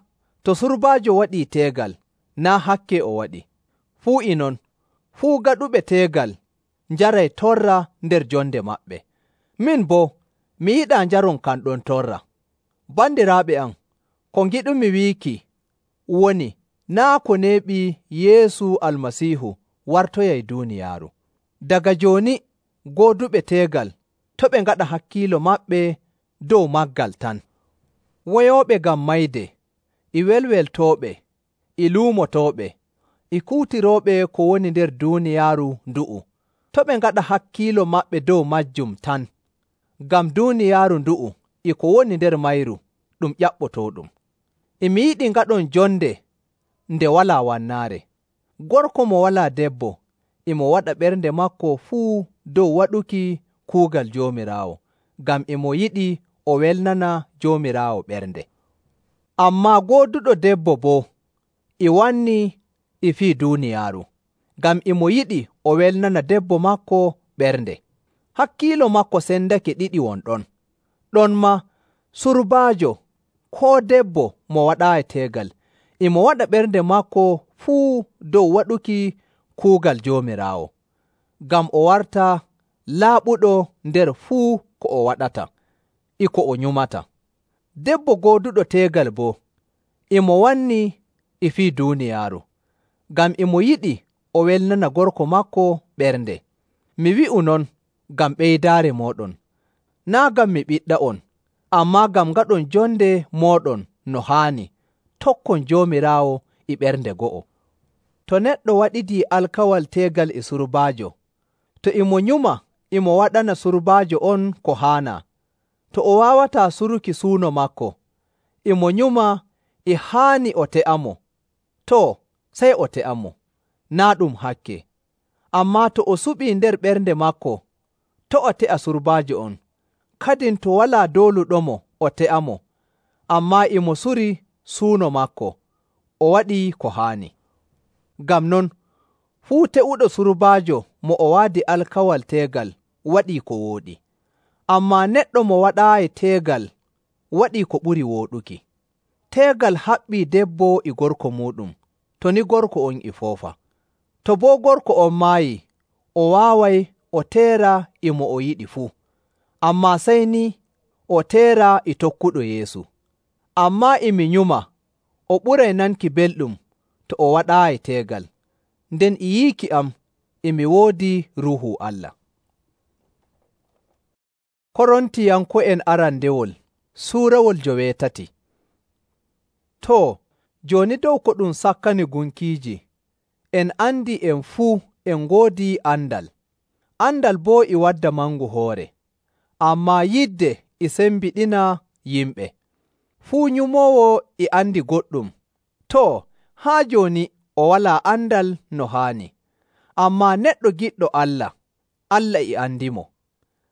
to surbaajo waɗii teegal, naa' hakke o waɗi. Fuu e non, fuu gaɗuɓe teegal njaray torra nder jonde maɓɓe. Min boo, mi yiɗaa njaron kan ɗon torra. Bandiraaɓe am, ko ngiɗumi wiiki woni naa' ko neeɓi Yeesu Almasiihu wartoyay duuniyaaru. Daga jooni gooduɓe teegal to' ɓe ngaɗa hakkiilo maɓɓe dow maggal tan. Woyooɓe ngam mayde, e welweltooɓe, e luumotooɓe, e kuutirooɓe ko woni nder duuniyaaru ndu'u, to' ɓe ngaɗa hakkiilo maɓɓe dow majjum tan, ngam duuniyaaru ndu'u e ko woni nder mayru ɗum ƴaɓɓotooɗum. E mi yiɗi ngaɗon jonde nde walaa wannaare. Gorko mo walaa debbo e mo waɗa ɓernde maako fuu dow waɗuki kuugal Joomiraawo, ngam e mo yiɗi o welnana Joomiraawo ɓernde. Ammaa gooduɗo debbo boo e wannii e fii duuniyaaru, ngam e mo yiɗi o welnana debbo maako ɓernde. Hakkiilo maako sendake ɗiɗi won ɗon. Ɗonmaa surbaajo koo debbo mo waɗaayi teegal e mo waɗa ɓernde maako fuu dow waɗuki kuugal Joomiraawo, ngam o warta laaɓuɗo nder fuu ko o waɗata e ko o nyumata. Debbo gooduɗo teegal boo e mo wannii e fii duuniyaaru, ngam e mo yiɗi o welnana gorko maako ɓernde. Mi wi'u non ngam ɓeydaare mooɗon, naa' ngam mi ɓiɗɗa'on, ammaa ngam ngaɗon jonde mooɗon no haani, tokkon Joomiraawo e ɓernde go'o. To neɗɗo waɗidii alkawal teegal e surbaajo, to e mo nyuma e mo waɗana surbaajo on ko haanaa, to o waawataa suruki suuno maako, e mo nyuma e haani o te'amo, too, sey o te'amo, naa' ɗum hakke. Ammaa to o suɓii nder ɓernde maako, to' o te'a surbaajo on, kadin to walaa dooluɗomo o te'amo, ammaa e mo suri suuno maako, o waɗii ko haani. Ngam non, fuu te'uɗo surbaajo mo o waadi alkawal teegal waɗii ko wooɗi. Ammaa neɗɗo mo waɗaayi teegal waɗii ko ɓuri wooɗuki. Teegal haɓɓii debbo e gorko muuɗum, to ni gorko on e foofa. To boo gorko on maayii, o waaway o teera e mo o yiɗi fuu, ammaa sey ni o teera e tokkuɗo Yeesu. Ammaa e mi nyuma o ɓuray nanki belɗum to o waɗaayi teegal, nden e yiiki am e mi woodi Ruuhu Allah. Korontiyanko'en arandewol suurawol joweetati. Too, jooni dow ko ɗum sakkani gunkiiji, en andi en fuu en ngoodi andal. Andal boo e wadda mangu hoore, ammaa yidde e sembiɗina yimɓe. Fuu nyumoowo e andi goɗɗum, too, haa jooni o walaa andal no haani. Ammaa neɗɗo giɗɗo Allah, Allah e andimo.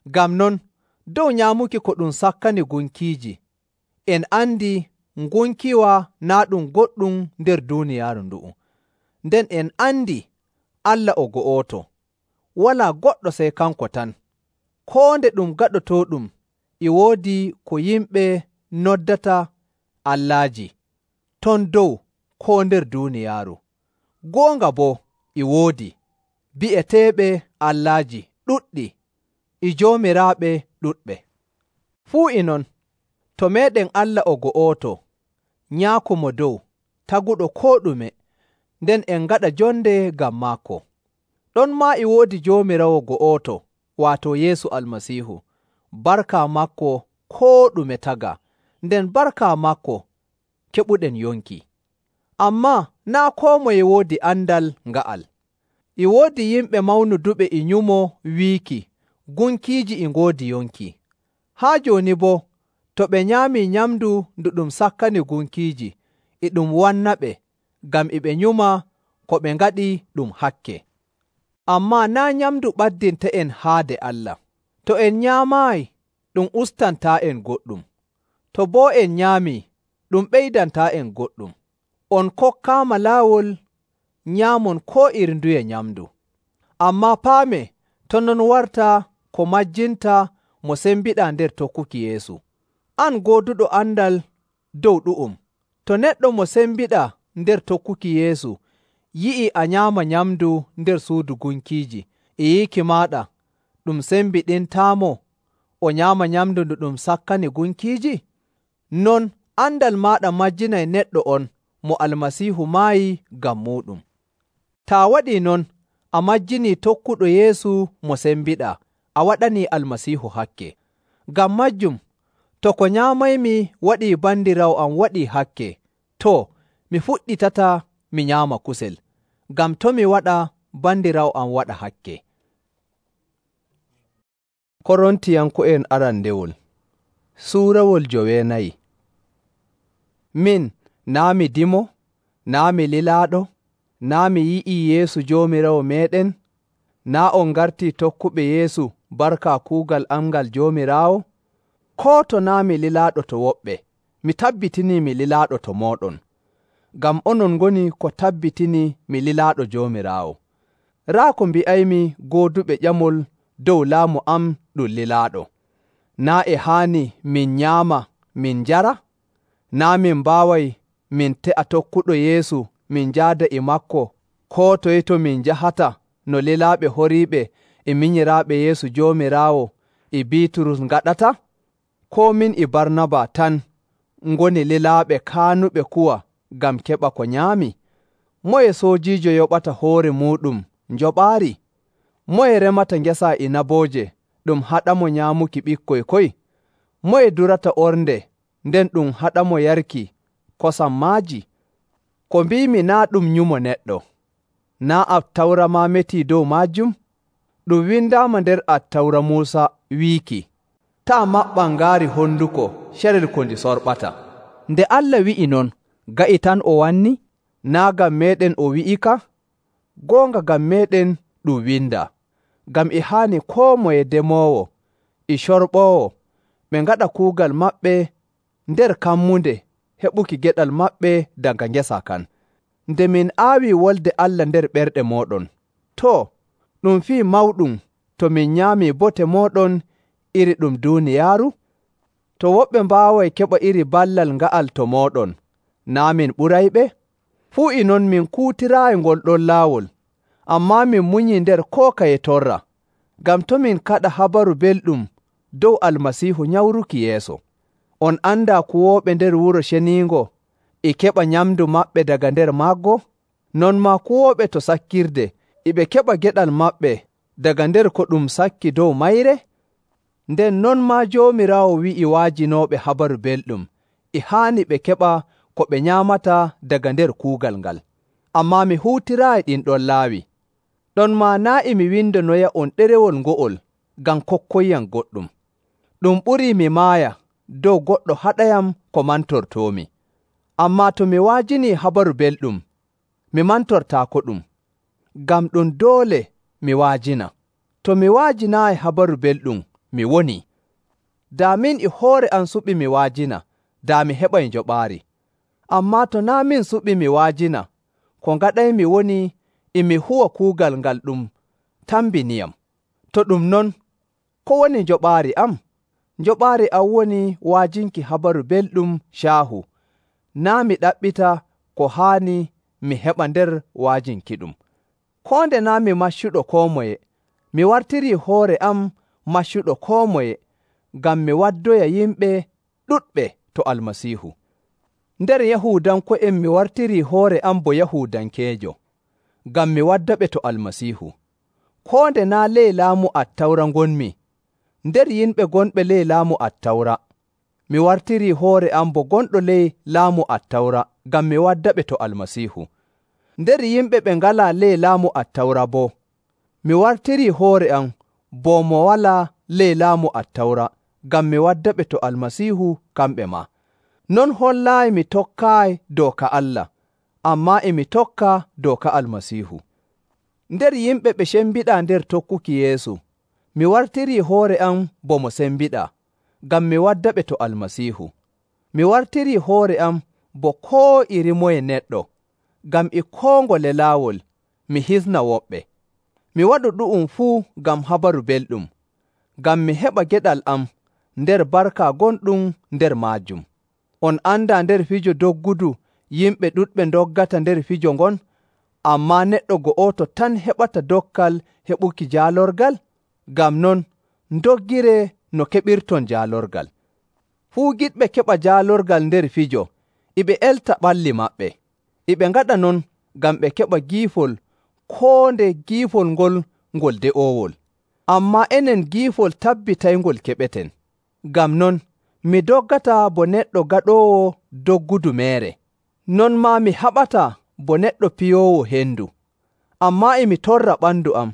Ngam non, dow nyaamuki ko ɗum sakkani gunkiiji, en andi ngunkiwa naa' ɗum goɗɗum nder duuniyaaru ndu'u. Nden en andi Allah o go'oto, walaa goɗɗo sey kanko tan. Koo nde ɗum gaɗotooɗum e woodi ko yimɓe noddata allaaji, ton dow koo nder duuniyaaru. Goonga boo e woodi bi'eteeɓe allaaji ɗuɗɗi e joomiraaɓe ɗuɗɓe. Fuu e non, To meeɗen Allah o go'oto, Nyaako Mo Dow, taguɗo koo ɗume, nden en ngaɗa jonde ngam maako. Ɗonmaa e woodi Joomiraawo go'oto, waato Yeesu Almasiihu. Barka maako koo ɗume tagaa, nden barka maako keɓuɗen yonki. Ammaa naa' koo moye woodi andal nga'al. E woodi yimɓe mawnuduɓe e nyumo wiiki gunkiiji e ngoodi yonki. Haa jooni boo, to ɓe nyaamii nyamndu ndu ɗum sakkani gunkiiji, e ɗum wannaɓe ngam e ɓe nyuma ko ɓe ngaɗi ɗum hakke. Ammaa naa' nyamndu ɓaddinta'en haade Allah. To en nyaamaayi, ɗum ustantaa'en goɗɗum. To boo en nyaamii, ɗum ɓeydantaa'en goɗɗum. On kokkaama laawol nyaamon koo iri nduye nyamndu. Ammaa paamee, to non wartaa ko majjinta mo sembiɗaa nder tokkuki Yeesu. An gooduɗo andal dow ɗu'um, to neɗɗo mo sembiɗaa nder tokkuki Yeesu yi'ii a nyaama nyamndu nder suudu gunkiiji, e yiiki maaɗa ɗum sembiɗintaamo o nyaama nyamndu ndu ɗum sakkani gunkiiji? Non andal maaɗa majjinay neɗɗo on mo Almasiihu maayi ngam muuɗum. Taa waɗii non, a majjinii tokkuɗo Yeesu mo sembiɗaa, a waɗanii Almasiihu hakke. Ngam majjum, to ko nyaamaymi waɗii bandiraawo am waɗii hakke, too, mi fuɗɗitataa mi nyaama kusel, ngam to mi waɗa bandiraawo am waɗa hakke. Korontiyanko'en arandewol Suurawol joweenayi. Min naa' mi dimo, naa' mi lilaaɗo, naa' mi yi'ii Yeesu Joomiraawo meeɗen, naa' on ngartii tokkuɓe Yeesu barka kuugal am ngal Joomiraawo? Koo to naa' mi lilaaɗo to woɓɓe, mi tabbitinii mi lilaaɗo to mooɗon, ngam onon ngoni ko tabbitinii mi lilaaɗo Joomiraawo. Raa ko mbi'aymi gooduɓe ƴamol dow laamu am ɗum lilaaɗo. Naa' e haani min nyaama min njara? Naa' min mbaaway min te'a tokkuɗo Yeesu min njaada e maako koo toye to min njahata no lilaaɓe horiiɓe e minyiraaɓe Yeesu Joomiraawo e Biiturus ngaɗata? Koo min e Barnaba tan ngoni lilaaɓe kaanuɓe kuwa ngam keɓa ko nyaami? Moye soojiijo yoɓata hoore muuɗum njoɓaari? Moye remata ngesa inabooje ɗum haɗamo nyaamuki ɓikkoy koy? Moye durata ornde nden ɗum haɗamo yarki kosam maaji? Ko mbiimi naa' ɗum nyumo neɗɗo. Naa' Attawra maa metii dow maajum? Ɗum windaama nder Attawra Muusa wiiki, taa maɓɓan ngaari honduko carel ko ndi sorɓata. Nde Allah wi'i non, ga'i tan o wanni? Naa' ngam meeɗen o wi'ika? Goonga ngam meeɗen ɗum windaa. Ngam e haani koo moye demoowo e corɓoowo ɓe ngaɗa kuugal maɓɓe nder kammunde heɓuki geɗal maɓɓe daga ngesa kan. Nde min aawii wolde Allah nder ɓerɗe mooɗon, too, ɗum fii mawɗum to min nyaamii bote mooɗon iri ɗum duuniyaaru? To woɓɓe mbaaway keɓa iri ballal nga'al to mooɗon, naa' min ɓurayɓe? Fuu e non min kuutiraayi ngol ɗon laawol, ammaa min munyii nder koo kaye torra, ngam to min kaɗa habaru belɗum dow Almasiihu nyawruki yeeso. On andaa kuwooɓe nder Wuro Ceniingo e keɓa nyamndu maɓɓe daga nder maaggo? Non maa kuwooɓe to sakkirde e ɓe keɓa geɗal maɓɓe daga nder ko ɗum sakki dow mayre? Nden non maa Joomiraawo wi'i wa'ajinooɓe habaru belɗum e haani ɓe keɓa ko ɓe nyaamata daga nder kuugal ngal. Ammaa mi huutiraayi ɗin ɗon laawi. Ɗon maa naa' e mi windanoya on ɗerewol ngo'ol ngam kokkoyyam goɗɗum. Ɗum ɓurii mi maaya dow goɗɗo haɗayam ko mantortoomi. Ammaa to mi wa'ajinii habaru belɗum, mi mantortaako ɗum, ngam ɗum doole mi wa'ajina. To mi wa'ajinaayi habaru belɗum, mi wonii. Daa min e hoore am suɓi mi wa'ajina, daa mi heɓay njoɓaari. Ammaa to naa' min suɓi mi wa'ajina, ko ngaɗaymi woni e mi huwa kuugal ngal ɗum tambiniyam. To ɗum non, ko woni njoɓaari am? Njoɓaari am woni wa'ajinki habaru belɗum caahu, naa' mi ɗaɓɓita ko haani mi heɓa nder wa'ajinkiɗum. Koo nde naa' mi maccuɗo koo moye, mi wartirii hoore am maccuɗo koo moye, ngam mi waddoya yimɓe ɗuɗɓe to Almasiihu. Nder Yahuudanko'en mi wartirii hoore am bo Yahuudankeejo, ngam mi waddaɓe to Almasiihu. Koo nde naa' ley laamu Attawra ngonmi, nder yimɓe gonɓe ley laamu Attawra, mi wartirii hoore am bo gonɗo ley laamu Attawra ngam mi waddaɓe to Almasiihu. Nder yimɓe ɓe ngalaa ley laamu Attawra boo, mi wartirii hoore am bo mo walaa ley laamu Attawra ngam mi waddaɓe to Almasiihu kamɓe maa. Non hollaayi mi tokkaayi dooka Allah, ammaa e mi tokka dooka Almasiihu. Nder yimɓe ɓe cembiɗaa nder tokkuki Yeesu, mi wartirii hoore am bo mo sembiɗaa, ngam mi waddaɓe to Almasiihu. Mi wartirii hoore am bo koo irimoye neɗɗo, ngam e koo ngole laawol mi hisna woɓɓe. Mi waɗu ɗu'um fuu ngam habaru belɗum, ngam mi heɓa geɗal am nder barka gonɗum nder maajum. On andaa nder fijo doggudu yimɓe ɗuɗɓe ndoggata nder fijo ngon, ammaa neɗɗo go'oto tan heɓata dokkal heɓuki jaalorgal? Ngam non, ndoggiree no keɓirton jaalorgal. Fuu giɗɓe keɓa jaalorgal nder fijo, e ɓe elta ɓalli maɓɓe. E ɓe ngaɗa non ngam ɓe keɓa giifol koo nde giifol ngol ngol de'oowol. Ammaa enen giifol tabbitayngol keɓeten. Ngam non, mi doggataa bo neɗɗo gaɗoowo doggudu meere. Non maa mi haɓataa bo neɗɗo piyoowo hendu. Ammaa e mi torra ɓandu am,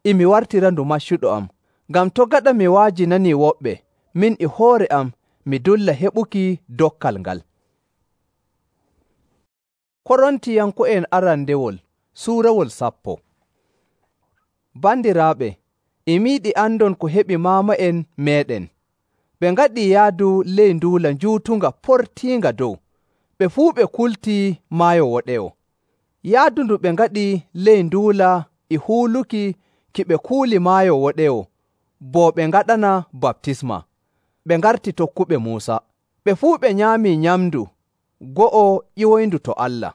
e mi wartirandu maccuɗo am, ngam to' gaɗa mi wa'ajinanii woɓɓe, min e hoore am mi dulla heɓuki dokkal ngal. Korontiyanko'en arandewol suurawol sappo. Bandiraaɓe, e miiɗi andon ko heɓi maama'en meeɗen. Ɓe ngaɗii yaadu ley nduula njuutunga portiinga dow, ɓe fuu ɓe kultii Maayo Woɗewo. Yaadu ndu ɓe ngaɗi ley nduula e huuluki ki ɓe kuuli Maayo Woɗewo, bo ɓe ngaɗana baptisma. Ɓe ngarti tokkuɓe Muusa. Ɓe fuu ɓe nyaamii nyamndu go'o ƴiwoyndu to Allah.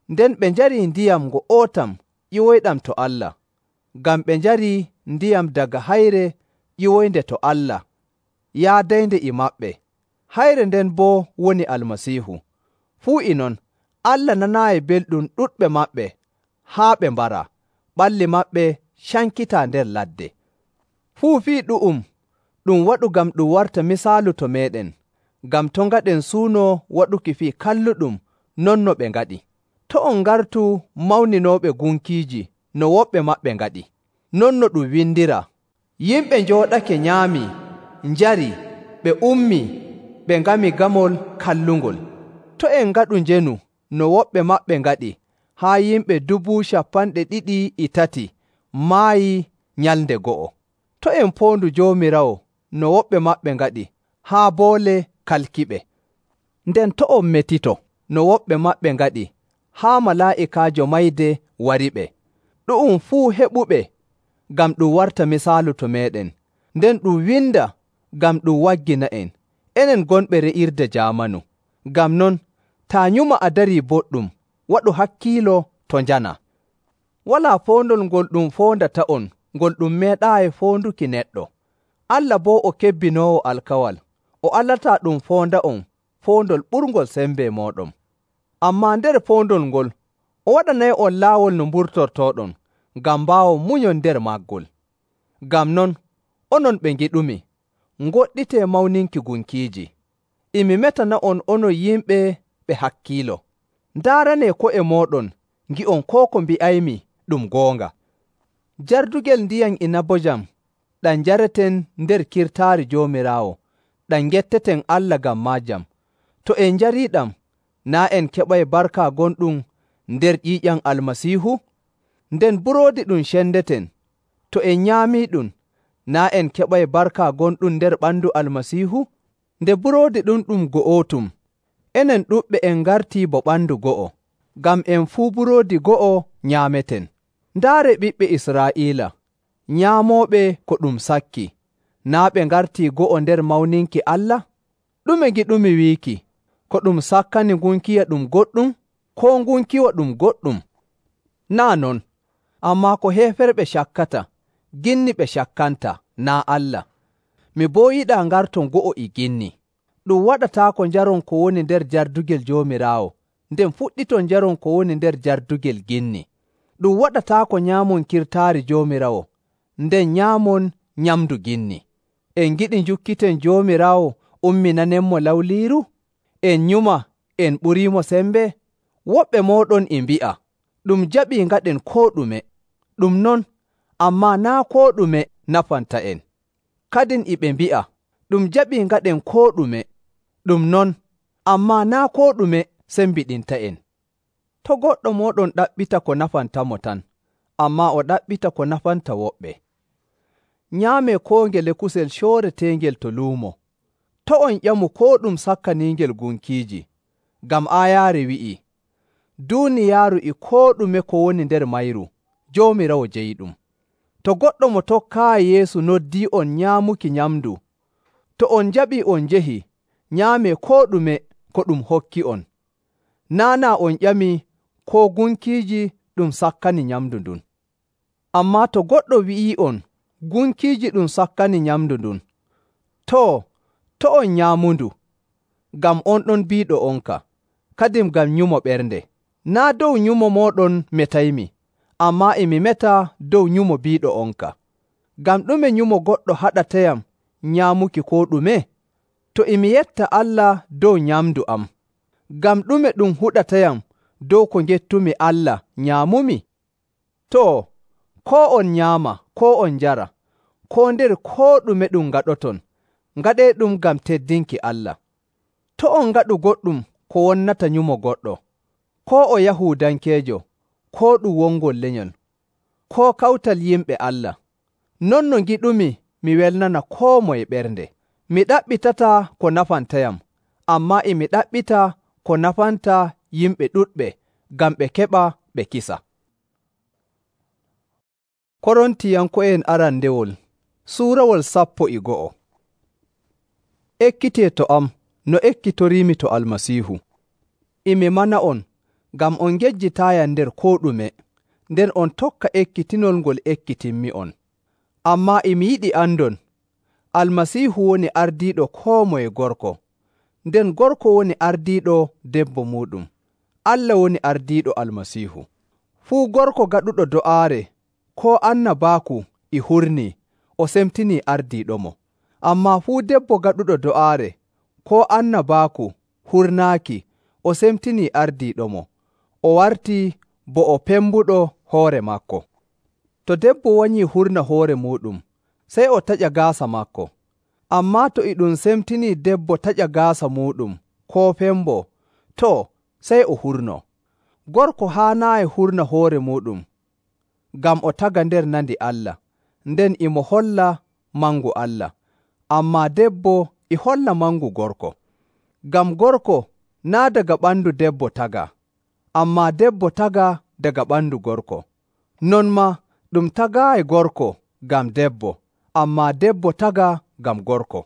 Nden ɓe njarii ndiyam ngo'otam ƴiwoyɗam to Allah, ngam ɓe njarii ndiyam daga hayre ƴiwoynde to Allah yaadaynde e maɓɓe. Hayre nden boo woni Almasiihu. Fuu e non, Allah nanaayi belɗum ɗuɗɓe maɓɓe haa ɓe mbaraa, ɓalli maɓɓe cankitaa nder ladde. Fuu fii ɗu'um ɗum waɗu ngam ɗum warta misaalu to meeɗen, ngam to' ngaɗen suuno waɗuki fii kalluɗum non no ɓe ngaɗi. To' on ngartu mawninooɓe gunkiiji no woɓɓe maɓɓe ngaɗi. Non no ɗum windiraa, yimɓe njooɗake nyaamii, njarii, ɓe ummii, ɓe ngami gamol kallungol. To' en ngaɗu njenu no woɓɓe maɓɓe ngaɗi, haa yimɓe dubu capanɗe ɗiɗi e tati maayii nyalnde go'o. To' en poondu Joomiraawo no woɓɓe maɓɓe ngaɗi, haa boole kalkiɓe. Nden to' on metito no woɓɓe maɓɓe ngaɗi, haa malaa'ikaajo mayde wariɓe. Ɗu'um fuu heɓuɓe ngam ɗum warta misaalu to meeɗen, nden ɗum winda ngam ɗum waggina'en, enen gonɓe re'irde jaamanu. Ngam non, taa nyuma a darii boɗɗum, waɗu hakkiilo to njana. Walaa foondol ngol ɗum foondata'on ngol ɗum meeɗaayi foonduki neɗɗo. Allah boo o kebbinoowo alkawal, o alataa ɗum foonda'on foondol ɓurngol sembe mooɗon. Ammaa nder foondol ngol, o waɗanay'on laawol no mburtortooɗon, ngam mbaawon munyon nder maagol. Ngam non, onon ɓe ngiɗumi, ngoɗɗitee mawninki gunkiiji. E mi metana'on onon yimɓe ɓe hakkiilo. Ndaaranee ko'e mooɗon, ngi'on koo ko mbi'aymi ɗum goonga. Jardugel ndiyam inabojam ɗam njareten nder kirtaari Joomiraawo, ɗam ngetteten Allah ngam maajam. To en njariiɗam, naa' en keɓay barka gonɗum nder ƴiiƴam Almasiihu? Nden buroodi ɗum cendeten, to en nyaamiiɗum, naa' en keɓay barka gonɗum nder ɓandu Almasiihu? Nde buroodi ɗum ɗum go'otum, enen ɗuɗɓe en ngartii bo ɓandu go'o, ngam en fuu buroodi go'o nyaameten. Ndaare ɓiɓɓe Israa'iila, nyaamooɓe ko ɗum sakki, naa' ɓe ngartii go'o nder mawninki Allah? Ɗume ngiɗumi wiiki? Ko ɗum sakkani ngunkiya ɗum goɗɗum, koo ngunkiwa ɗum goɗɗum? Naa' non, ammaa ko heeferɓe cakkata, ginni ɓe cakkanta, naa' Allah. Mi boo yiɗaa ngarton go'o e ginni. Ɗum waɗataako njaron ko woni nder jardugel Joomiraawo, nden fuɗɗiton njaron ko woni nder jardugel ginni. Ɗum waɗataako nyaamon kirtaari Joomiraawo, nden nyaamon nyamndu ginni. En ngiɗi njukkiten Joomiraawo umminanenmo lawliiru? En nyuma en ɓuriimo sembe? Woɓɓe mooɗon e mbi'a, ɗum jaɓii ngaɗen koo ɗume. Ɗum non, ammaa naa' koo ɗume nafanta'en. Kadin e ɓe mbi'a, ɗum jaɓii ngaɗen koo ɗume. Ɗum non, ammaa naa' koo ɗume sembiɗinta'en. To' goɗɗo mooɗon ɗaɓɓita ko nafantamo tan, ammaa o ɗaɓɓita ko nafanta woɓɓe. Nyaamee koo ngele kusel cooreteengel to luumo. To' on ƴamu koo ɗum sakkaniingel gunkiiji, ngam aayaare wi'ii, duuniyaaru e koo ɗume ko woni nder mayru, Joomiraawo jeyiɗum. To goɗɗo mo tokkaayi Yeesu noddii'on nyaamuki nyamndu, to on njaɓii on njehi, nyaamee koo ɗume ko ɗum hokki'on. Naa' naa on ƴamii koo gunkiiji ɗum sakkani nyamndu ndun. Ammaa to goɗɗo wi'ii'on gunkiiji ɗum sakkani nyamndu ndun, too, to' on nyaamundu, ngam on ɗon biiɗo onka, kadin ngam nyumo ɓernde. Naa' dow nyumo mooɗon metaymi, ammaa e mi meta dow nyumo biiɗo onka. Ngam ɗume nyumo goɗɗo haɗatayam nyaamuki koo ɗume? To e mi yetta Allah dow nyamndu am, ngam ɗume ɗum huɗatayam dow ko ngettumi Allah nyaamumi? Too, koo on nyaama, koo on njara, koo nder koo ɗume ɗum ngaɗoton, ngaɗeeɗum ngam teddinki Allah. To' on ngaɗu goɗɗum ko wonnata nyumo goɗɗo, koo o Yahuudankeejo, koo ɗum wongol lenyol, koo kawtal yimɓe Allah. Non no ngiɗumi mi welnana koo moye ɓernde. Mi ɗaɓɓitataa ko nafantayam, ammaa e mi ɗaɓɓita ko nafanta yimɓe ɗuɗɓe, ngam ɓe keɓa ɓe kisa. Korontiyanko'en arandewol suurawol sappo e go'o. Ekkitee to am no ekkitoriimi to Almasiihu. E mi mana'on, ngam on ngejjitaayam nder koo ɗume, nden on tokka ekkitinol ngol ekkitinmi'on. Ammaa e mi yiɗi andon, Almasiihu woni ardiiɗo koo moye gorko, nden gorko woni ardiiɗo debbo muuɗum. Allah woni ardiiɗo Almasiihu. Fuu gorko gaɗuɗo do'aare koo annabaaku e hurnii, o semtinii ardiiɗomo. Ammaa fuu debbo gaɗuɗo do'aare koo annabaaku hurnaaki, o semtinii ardiiɗomo, o wartii bo o pembuɗo hoore maako. To debbo wanyii hurna hoore muuɗum, sey o taƴa gaasa maako. Ammaa to e ɗum semtinii debbo taƴa gaasa muuɗum koo fembo, too, sey o hurnoo. Gorko haanaayi hurna hoore muuɗum, ngam o taga nder nandi Allah, nden e mo holla mangu Allah. Ammaa debbo e holla mangu gorko. Ngam gorko naa' daga ɓandu debbo tagaa, ammaa debbo tagaa daga ɓandu gorko. Non maa ɗum tagaayi gorko ngam debbo, ammaa debbo tagaa ngam gorko.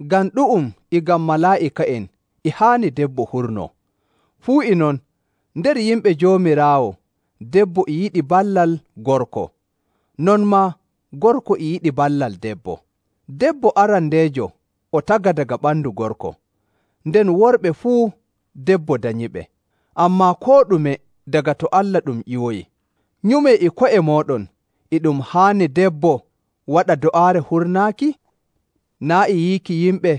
Ngam ɗu'um e ngam malaa'ika'en e haani debbo hurnoo. Fuu e non, nder yimɓe Joomiraawo, debbo e yiɗi ballal gorko. Non maa gorko e yiɗi ballal debbo. Debbo arandeejo o taga daga ɓandu gorko, nden worɓe fuu debbo danyiɓe. Ammaa koo ɗume daga to Allah ɗum ƴiwoyi. Nyumee e ko'e mooɗon, e ɗum haani debbo waɗa do'aare hurnaaki? Naa' e yiiki yimɓe,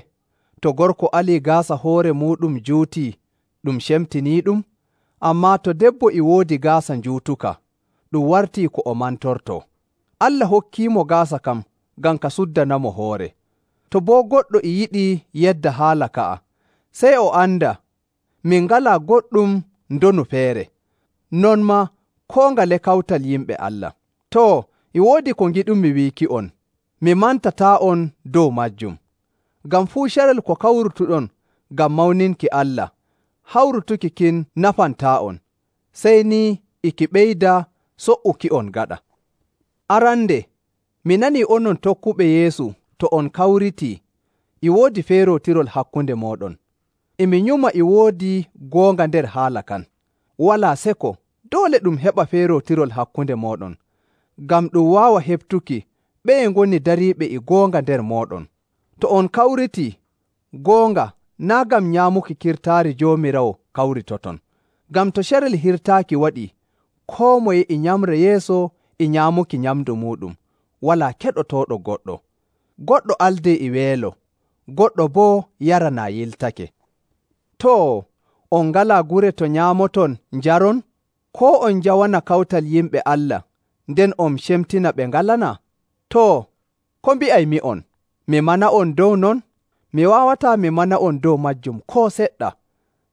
to gorko alii gaasa hoore muuɗum juutii, ɗum cemtiniiɗum? Ammaa to debbo e woodi gaasa njuutuka, ɗum wartii ko o mantortoo. Allah hokkiimo gaasa kam ngam ka suddanamo hoore. To boo goɗɗo e yiɗi yedda haala ka'a, sey o anda min ngalaa goɗɗum ndonu feere. Non maa koo ngale kawtal yimɓe Allah. Too, e woodi ko ngiɗumi wiiki'on, mi mantataa'on dow majjum. Ngam fuu carel ko kawrutuɗon ngam mawninki Allah, hawrutuki kin nafantaa'on, sey ni e ki ɓeyda so''uki'on gaɗa. Arande, mi nanii onon tokkuɓe Yeesu to on kawritii, e woodi feerootirol hakkunde mooɗon. E mi nyuma e woodi goonga nder haala kan. Walaa seko, doole ɗum heɓa feerootirol hakkunde mooɗon, ngam ɗum waawa heɓtuki ɓeye ngoni dariiɓe e goonga nder mooɗon. To on kawritii, Goonga, naa' ngam nyaamuki kirtaari Joomiraawo kawritoton. Ngam to carel hirtaaki waɗii, koo moye e nyamra yeeso e nyaamuki nyamndu muuɗum, walaa keɗotooɗo goɗɗo. Goɗɗo aldee e weelo, goɗɗo boo yaranaa yiltake. Too, on ngalaa gure to nyaamoton njaron? Koo on njawana kawtal yimɓe Allah, nden on cemtina ɓe ngalanaa? Too, ko mbi'aymi'on? Mi mana'on dow non? Mi waawataa mi mana'on dow maajum koo seɗɗa.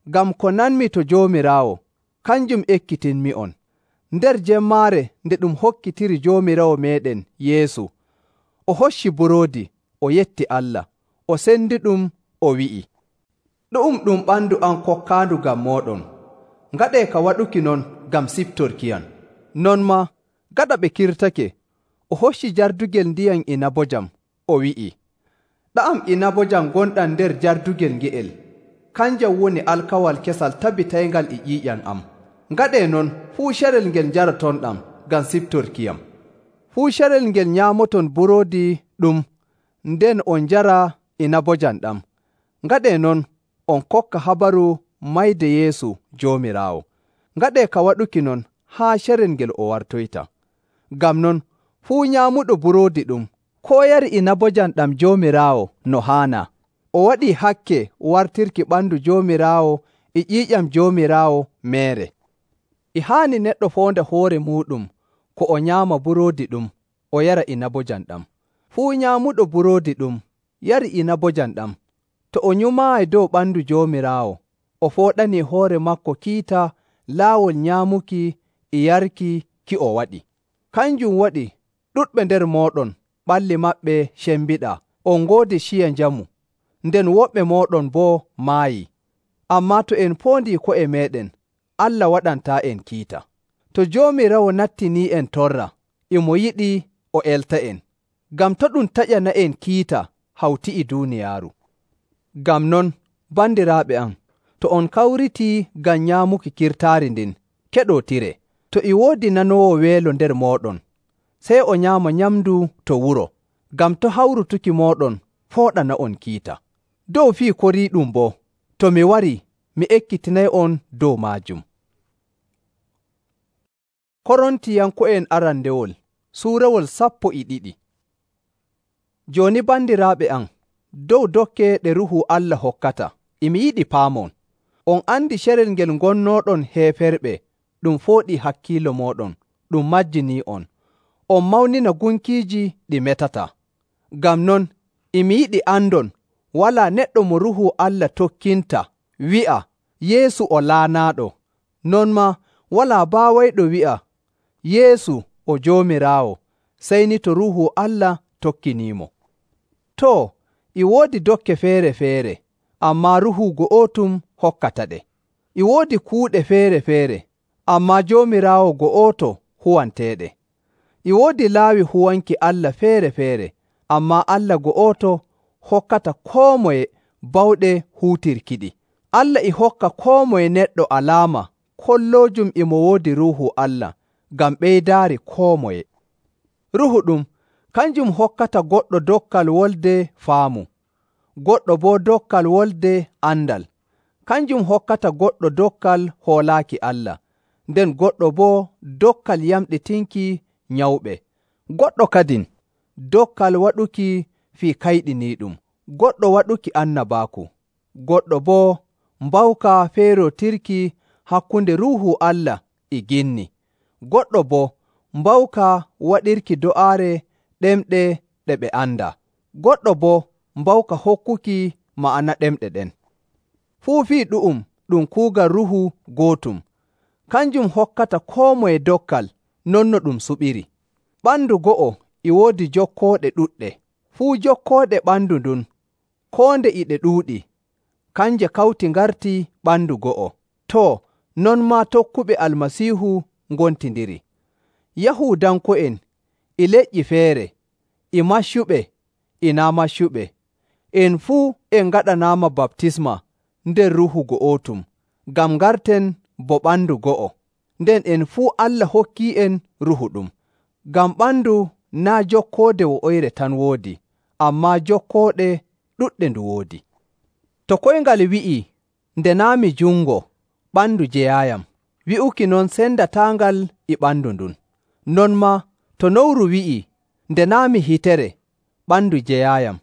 Ngam ko nanmi to Joomiraawo, kanjum ekkitinmi'on. Nder jemmaare nde ɗum hokkitiri Joomiraawo meeɗen Yeesu, o hocci buroodi, o yetti Allah, o sendiɗum, o wi'i, “Ɗu'um ɗum ɓandu am kokkaandu ngam mooɗon. Ngaɗee ka waɗuki non ngam siftorkiyam.” Non maa, gaɗa ɓe kirtake, o hocci jardugel ndiyam inabojam, o wi'i, “Ɗa'am inabojam gonɗam nder jardugel nge'el, kanjam woni alkawal kesal tabitayngal e ƴiiƴam am. Ngaɗee non fuu carel ngel njaratonɗam ngam siftorkiyam. Fuu carel ngel nyaamoton buroodi ɗum, nden on njara inabojam ɗam. Ngaɗee non on kokka habaru mayde Yeesu Joomiraawo. Ngaɗee ka waɗuki non haa carel ngel o wartoyta. Ngam non fuu nyaamuɗo buroodi ɗum, koo yari inabojam ɗam Joomiraawo no haanaa, o waɗii hakke wartirki ɓandu Joomiraawo e ƴiiƴam Joomiraawo meere. E haani neɗɗo foonda hoore muuɗum ko o nyaama buroodi ɗum, o yara inabojam ɗam. Fuu nyaamuɗo buroodi ɗum, yari inabojam ɗam, to o nyumaayi dow ɓandu Joomiraawo, o fooɗanii hoore maako kiita laawol nyaamuki e yarki ki o waɗi. Kanjum waɗi ɗuɗɓe nder mooɗon ɓalli maɓɓe cembiɗaa, on ngoodi ciya njamu, nden woɓɓe mooɗon boo maayii. Ammaa to en poondi ko'e meeɗen, Allah waɗantaa'en kiita. To Joomiraawo nattinii'en torra, e mo yiɗi o elta'en, ngam to ɗum taƴana'en kiita hawti e duuniyaaru. Ngam non, bandiraaɓe am, to on kawritii ngam nyaamuki kirtaari ndin, keɗootiree. To e woodi nanoowo weelo nder mooɗon, sey o nyaama nyamndu to wuro, ngam to hawrutuki mooɗon fooɗana'on kiita. Dow fii koriiɗum boo, to mi warii, mi ekkitinay'on dow maajum. Korontiyanko'en arandewol suurawol sappo e ɗiɗi. Jooni bandiraaɓe am, dow dokke ɗe Ruuhu Allah hokkata, e mi yiɗi paamon. On andi carel ngel ngonnooɗon heeferɓe ɗum fooɗii hakkiilo mooɗon, ɗum majjinii'on. On mawnina gunkiiji ɗi metataa. Ngam non, e mi yiɗi andon walaa neɗɗo mo Ruuhu Allah tokkinta wi'a Yeesu o laanaaɗo, non maa walaa baawayɗo wi'a Yeesu o Joomiraawo, sey ni to Ruuhu Allah tokkiniimo. Too, e woodi dokke feere-feere, ammaa Ruuhu go'otum hokkata ɗe. E woodi kuuɗe feere-feere, ammaa Joomiraawo go'oto huwanteeɗe. E woodi laawi huwanki Allah feere-feere, ammaa Allah go'oto hokkata koo moye bawɗe huutirkiɗi. Allah e hokka koo moye neɗɗo alaama kolloojum e mo woodi Ruuhu Allah, ngam ɓeydaari koo moye. Ruuhu ɗum, kanjum hokkata goɗɗo dokkal wolde faamu, goɗɗo boo dokkal wolde andal. Kanjum hokkata goɗɗo dokkal hoolaaki Allah, nden goɗɗo boo dokkal yamɗitinki nyawɓe. Goɗɗo kadin dokkal waɗuki fii kayɗiniiɗum, goɗɗo waɗuki annabaaku, goɗɗo boo mbawka feerootirki hakkunde Ruuhu Allah e ginni, goɗɗo boo mbawka waɗirki do'aare ɗemɗe ɗe ɓe andaa, goɗɗo boo mbawka hokkuki ma'ana ɗemɗe ɗen. Fuu fii ɗu'um ɗum kuugal Ruuhu gootum, kanjum hokkata koo moye dokkal non no ɗum suɓiri. Ɓandu go'o e woodi jokkooɗe ɗuɗɗe, fuu jokkooɗe ɓandu ndun, koo nde e ɗe ɗuuɗi, kanje kawti ngarti ɓandu go'o. Too, non maa tokkuɓe Almasiihu ngontindiri. Yahuudanko'en e leƴƴi feere, e maccuɓe e naa maccuɓe, en fuu en ngaɗanaama baptisma nder Ruuhu go'otum, ngam ngarten bo ɓandu go'o, nden en fuu Allah hokkii'en Ruuhu ɗum. Ngam ɓandu naa' jokkoode wo'oyre tan woodi, ammaa jokkooɗe ɗuɗɗe ndu woodi. To koyngal wi'ii, nde naa' mi jungo, ɓandu jeyaayam, wi'uki non sendataangal e ɓandu ndun. Non maa to nowru wi'ii, nde naa' mi hitere, ɓandu jeyaayam,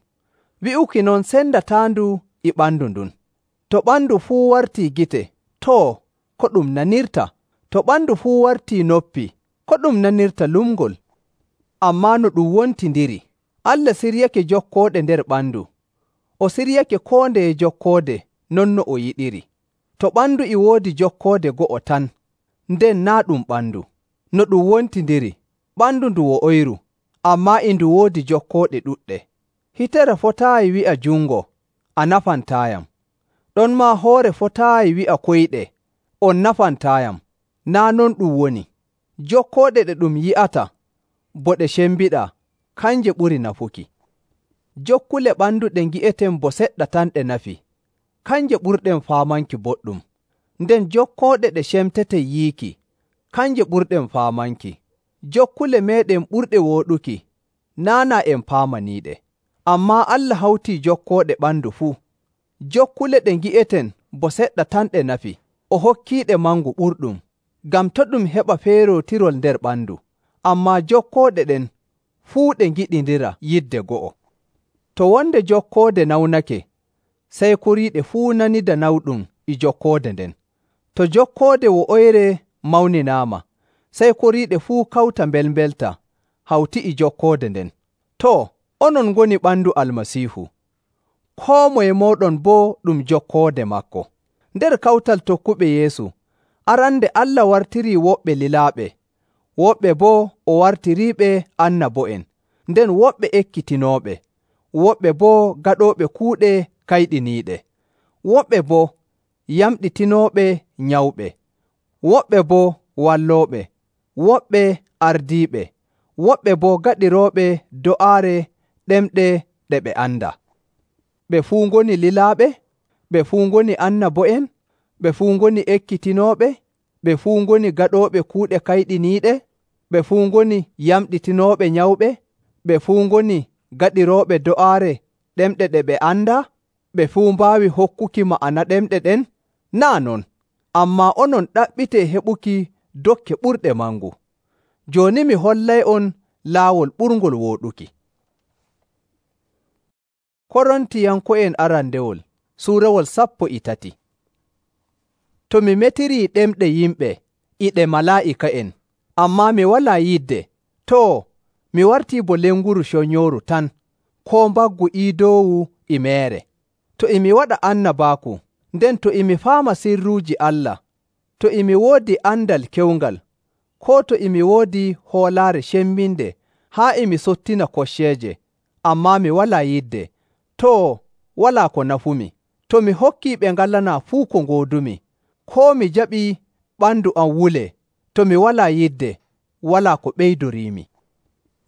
wi'uki non sendataandu e ɓandu ndun. To ɓandu fuu wartii gite, too, ko ɗum nanirta? To ɓandu fuu wartii noppi, ko ɗum nanirta lumngol? Ammaa no ɗum wontindiri, Allah siryake jokkooɗe nder ɓandu. O siryake koo ndeye jokkoode non no o yiɗiri. To ɓandu e woodi jokkoode go'o tan, nden naa' ɗum ɓandu. No ɗum wontindiri, ɓandu ndu wo'oyru, ammaa e ndu woodi jokkooɗe ɗuɗɗe. Hitere fotaayi wi'a jungo, a nafantaayam. Ɗonmaa hoore fotaayi wi'a koyɗe, on nafantaayam. Naa' non ɗum woni. Jokkooɗe ɗe ɗum yi'ata bo ɗe cembiɗaa, kanje ɓuri nafuki. Jokkule ɓandu ɗe ngi'eten bo seɗɗa tan ɗe nafi, kanje ɓurɗen faamanki boɗɗum. Nden jokkooɗe ɗe cemteten yiiki, kanje ɓurɗen faamanki. Jokkule meeɗen ɓurɗe wooɗuki, naa' naa en paamaniiɗe. Ammaa Allah hawtii jokkooɗe ɓandu fuu. Jokkule ɗe ngi'eten bo seɗɗa tan ɗe nafi, o hokkiiɗe mangu ɓurɗum, ngam to ɗum heɓa feerootirol nder ɓandu. Ammaa jokkooɗe ɗen fuu ɗe ngiɗindira yidde go'o. To wonde jokkoode nawnake, sey kuriiɗe fuu nanida nawɗum e jokkoode nden. To jokkoode wo'oyre mawninaama, sey kuriiɗe fuu kawta mbelmbelta hawti e jokkoode nden. Too, onon ngoni ɓandu Almasiihu. Koo moye mooɗon boo ɗum jokkoode maako. Nder kawtal tokkuɓe Yeesu, arande Allah wartirii woɓɓe lilaaɓe, woɓɓe boo o wartiriiɓe annabo'en, nden woɓɓe ekkitinooɓe, woɓɓe boo gaɗooɓe kuuɗe kayɗiniiɗe, woɓɓe boo yamɗitinooɓe nyawɓe, woɓɓe boo wallooɓe, woɓɓe ardiiɓe, woɓɓe boo gaɗirooɓe do'aare ɗemɗe ɗe ɓe andaa. Ɓe fuu ngoni lilaaɓe, ɓe fuu ngoni annabo'en, ɓe fuu ngoni ekkitinooɓe, ɓe fuu ngoni gaɗooɓe kuuɗe kayɗiniiɗe, ɓe fuu ngoni yamɗitinooɓe nyawɓe, ɓe fuu ngoni gaɗirooɓe do'aare ɗemɗe ɗe ɓe andaa, ɓe fuu mbaawi hokkuki ma'ana ɗemɗe ɗen? Naa' non, ammaa onon ɗaɓɓitee heɓuki dokke ɓurɗe mangu. Jooni mi hollay'on laawol ɓurngol wooɗuki. Korontiyanko'en arandewol suurawol sappo e tati. To mi metirii ɗemɗe yimɓe e ɗe malaa'ika'en, ammaa mi walaa yidde, too, mi wartii bo lenguru conyooru tan, koo mbaggu iidoowu e meere. To e mi waɗa annabaaku, nden to e mi faama sirruuji Allah, to e mi woodi andal kewngal, koo to e mi woodi hoolaare cemminde haa e mi sottina kocceeje, ammaa mi walaa yidde, too, walaa ko nafumi. To mi hokkii ɓe ngalanaa fuu ko ngoodumi, koo mi jaɓii ɓandu am wulee, to mi walaa yidde, walaa ko ɓeydoriimi.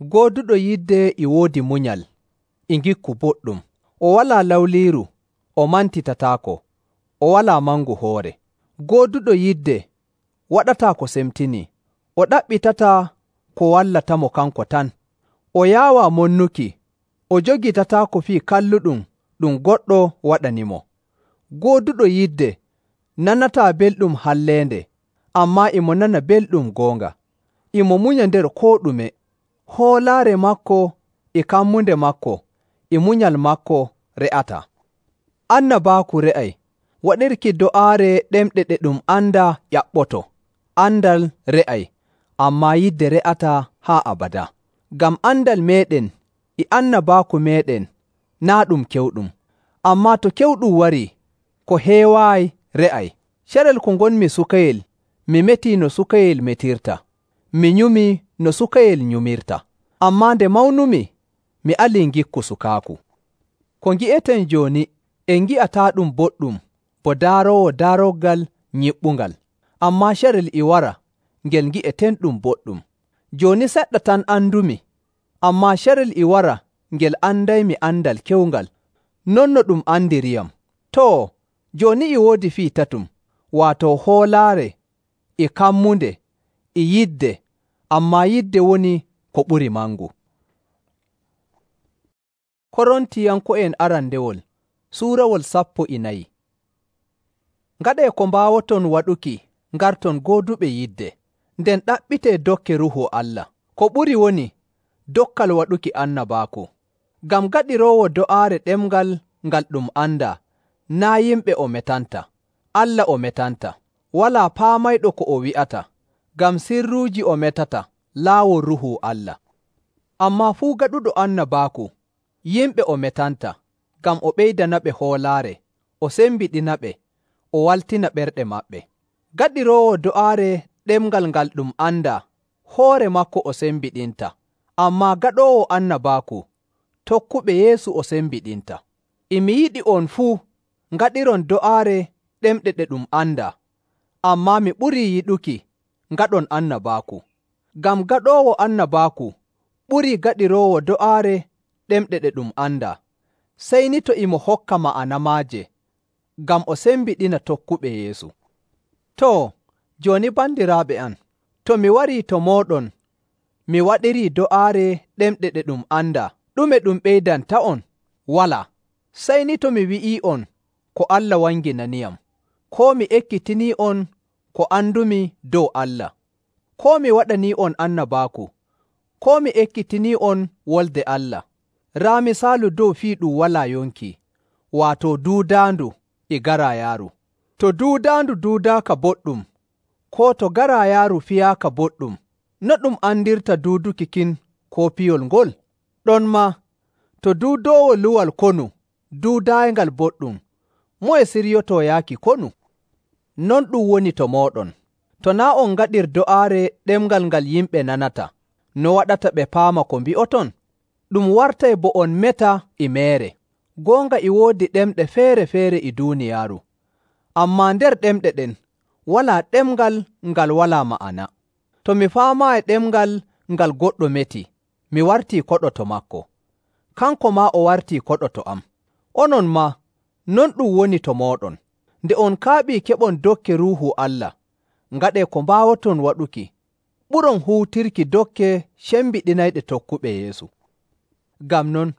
Gooduɗo yidde e woodi munyal, e ngikku boɗɗum, o walaa lawliiru, o mantitataako, o walaa mangu hoore. Gooduɗo yidde waɗataa ko semtinii, o ɗaɓɓitataa ko wallatamo kanko tan, o yaawaa monnuki, o jogitataako fii kalluɗum ɗum goɗɗo waɗanimo. Gooduɗo yidde nanataa belɗum halleende, ammaa imo nana belɗum goonga. Imo munya nder koo ɗume. Hoolaare maako e kammunde maako e munyal maako re'ataa. Annabaaku re'ay, waɗirki do'aare ɗemɗe ɗe ɗum andaa ƴaɓɓoto. Andal re'ay, ammaa yidde re'ataa haa abadaa. Ngam andal meeɗen e annabaaku meeɗen naa' ɗum kewɗum. Ammaa to kewɗum warii, ko heewaayi re'ay. Carel ko ngonmi sukayel, mi metii no sukayel metirta, mi nyumii no sukayel nyumirta. Ammaa nde mawnumi, mi alii ngikku sukaaku. Ko ngi'eten jooni, en ngi'ataaɗum boɗɗum bo daaroowo daaroggal nyiɓɓungal, ammaa carel e wara ngel ngi'etenɗum boɗɗum. Jooni seɗɗa tan andumi, ammaa carel e wara ngel andaymi andal kewngal, non no ɗum andiriyam. Too, jooni e woodi fii tatum, waato hoolaare e kammunde e yidde, ammaa yidde woni ko ɓuri mangu. Korontiyanko'en arandewol Suurawol sappo e nayi. Ngaɗee ko mbaawoton waɗuki ngarton gooduɓe yidde, nden ɗaɓɓitee dokke Ruuhu Allah. Ko ɓuri woni dokkal waɗuki annabaaku. Ngam gaɗiroowo do'aare ɗemngal ngal ɗum andaa, naa' yimɓe o metanta, Allah o metanta. Walaa paamayɗo ko o wi'ata, ngam sirruuji o metata laawol Ruuhu Allah. Ammaa fuu gaɗuɗo annabaaku, yimɓe o metanta, ngam o ɓeydanaɓe hoolaare, o sembiɗinaɓe, o waltina ɓerɗe maɓɓe. Gaɗiroowo do'aare ɗemngal ngal ɗum andaa, hoore maako o sembiɗinta, ammaa gaɗoowo annabaaku, tokkuɓe Yeesu o sembiɗinta. E mi yiɗi on fuu ngaɗiron do'aare ɗemɗe ɗe ɗum andaa, ammaa mi ɓurii yiɗuki ngaɗon annabaaku. Ngam gaɗoowo annabaaku ɓurii gaɗiroowo do'aare ɗemɗe ɗe ɗum andaa, sey ni to e mo hokka ma'ana maaje, ngam o sembiɗina tokkuɓe Yeesu. Too, jooni bandiraaɓe am, to mi warii to mooɗon mi waɗirii do'aare ɗemɗe ɗe ɗum andaa, ɗume ɗum ɓeydanta'on? Walaa, sey ni to mi wi'ii'on ko Allah wanginaniyam, koo mi ekkitinii'on ko andumi dow Allah, koo mi waɗanii'on annabaaku, koo mi ekkitinii'on wolde Allah. Raa misaalu dow fii ɗum walaa yonki, waato duudaandu e garaayaaru. To duudaandu duudaaka boɗɗum, koo to garaayaaru fiyaaka boɗɗum, no ɗum andirta duuduki kin koo piyol ngol? Ɗonmaa, to duudoowo luwal konu duudayngal boɗɗum, moye siryotoo yaaki konu? Non ɗum woni to mooɗon. To naa' on ngaɗir do'aare ɗemngal ngal yimɓe nanata, no waɗata ɓe paama ko mbi'oton? Ɗum wartay bo on meta e meere. Goonga e woodi ɗemɗe feere-feere e duuniyaaru, ammaa nder ɗemɗe ɗen walaa ɗemngal ngal walaa ma'ana. To mi faamaayi ɗemngal ngal goɗɗo meti, mi wartii koɗo to maako, kanko maa o wartii koɗo to am. Onon maa, non ɗum woni to mooɗon. Nde on kaaɓii keɓon dokke Ruuhu Allah, ngaɗee ko mbaawoton waɗuki, ɓuron huutirki dokke cembiɗinayɗe tokkuɓe Yeesu. Ngam non,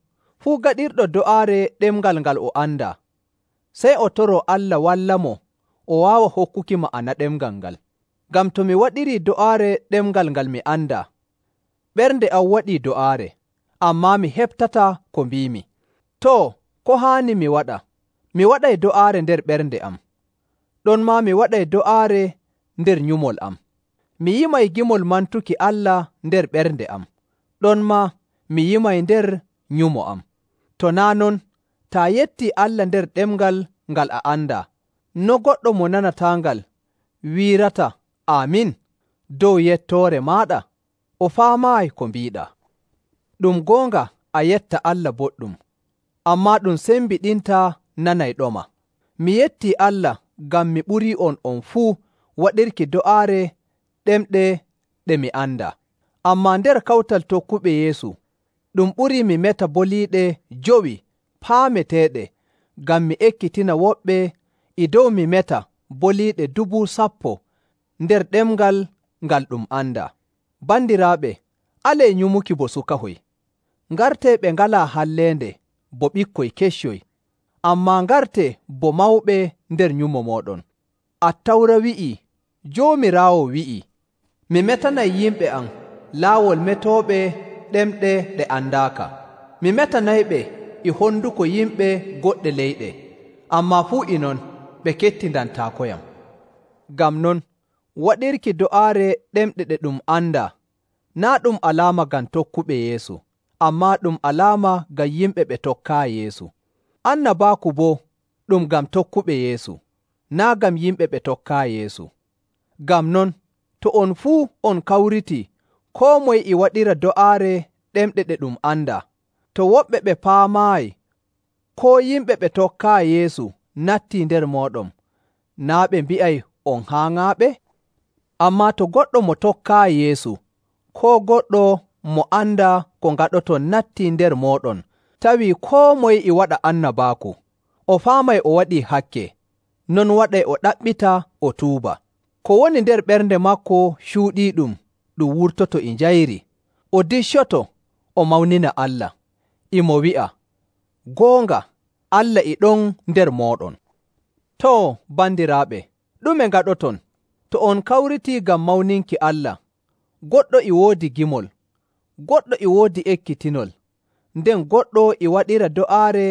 fuu gaɗirɗo do'aare ɗemngal ngal o andaa, sey o toroo Allah wallamo o waawa hokkuki ma'ana ɗemngal ngal. Ngam to mi waɗirii do'aare ɗemngal ngal mi andaa, ɓernde am waɗii do'aare, ammaa mi heɓtataa ko mbiimi. Too, ko haani mi waɗa? Mi waɗay do'aare nder ɓernde am, ɗonmaa mi waɗay do'aare nder nyumol am. Mi yimay gimol mantuki Allah nder ɓernde am, ɗonmaa mi yimay nder nyumo am. To naa' non, taa yettii Allah nder ɗemngal ngal a andaa, no goɗɗo mo nanataangal wiirata aamin dow yettoore maaɗa? O faamaayi ko mbiiɗaa. Ɗum goonga a yetta Allah boɗɗum, ammaa ɗum sembiɗintaa nanayɗoma. Mi yettii Allah ngam mi ɓurii on on fuu waɗirki do'aare ɗemɗe ɗe mi andaa. Ammaa nder kawtal tokkuɓe Yeesu, ɗum ɓurii mi meta boliiɗe jowi paameteeɗe, ngam mi ekkitina woɓɓe e dow mi meta boliiɗe dubu sappo nder ɗemngal ngal ɗum andaa. Bandiraaɓe, alee nyumuki bo sukahoy. Ngartee ɓe ngalaa halleende bo ɓikkoy keccoy, ammaa ngartee bo mawɓe nder nyumo mooɗon. Attawra wi'ii, Joomiraawo wi'ii, mi metanay yimɓe am laawol metooɓe ɗemɗe ɗe andaaka. Mi metanayɓe e honduko yimɓe goɗɗe leyɗe, ammaa fuu e non ɓe kettindantaakoyam. Ngam non, waɗirki do'aare ɗemɗe ɗe ɗum andaa, naa' ɗum alaama ngam tokkuɓe Yeesu, ammaa ɗum alaama ngam yimɓe ɓe tokkaayi Yeesu. Annabaaku boo ɗum ngam tokkuɓe Yeesu, naa' ngam yimɓe ɓe tokkaayi Yeesu. Ngam non, to on fuu on kawritii, koo moye e waɗira do'aare ɗemɗe ɗe ɗum andaa, to woɓɓe ɓe paamaayi, koo yimɓe ɓe tokkaayi Yeesu nattii nder mooɗon, naa' ɓe mbi'ay on haaŋaaɓe? Ammaa to goɗɗo mo tokkaayi Yeesu, koo goɗɗo mo andaa ko ngaɗoton nattii nder mooɗon, tawii koo moye e waɗa annabaaku, o faamay o waɗii hakke, non waɗay o ɗaɓɓita o tuuba. Ko woni nder ɓernde maako cuuɗiiɗum ɗum wurtoto e njayri, o diccoto o mawnina Allah, e mo wi'a, goonga, Allah e ɗon nder mooɗon. Too, bandiraaɓe, ɗume ngaɗoton? To on kawritii ngam mawninki Allah, goɗɗo e woodi gimol, goɗɗo e woodi ekkitinol, nden goɗɗo e waɗira do'aare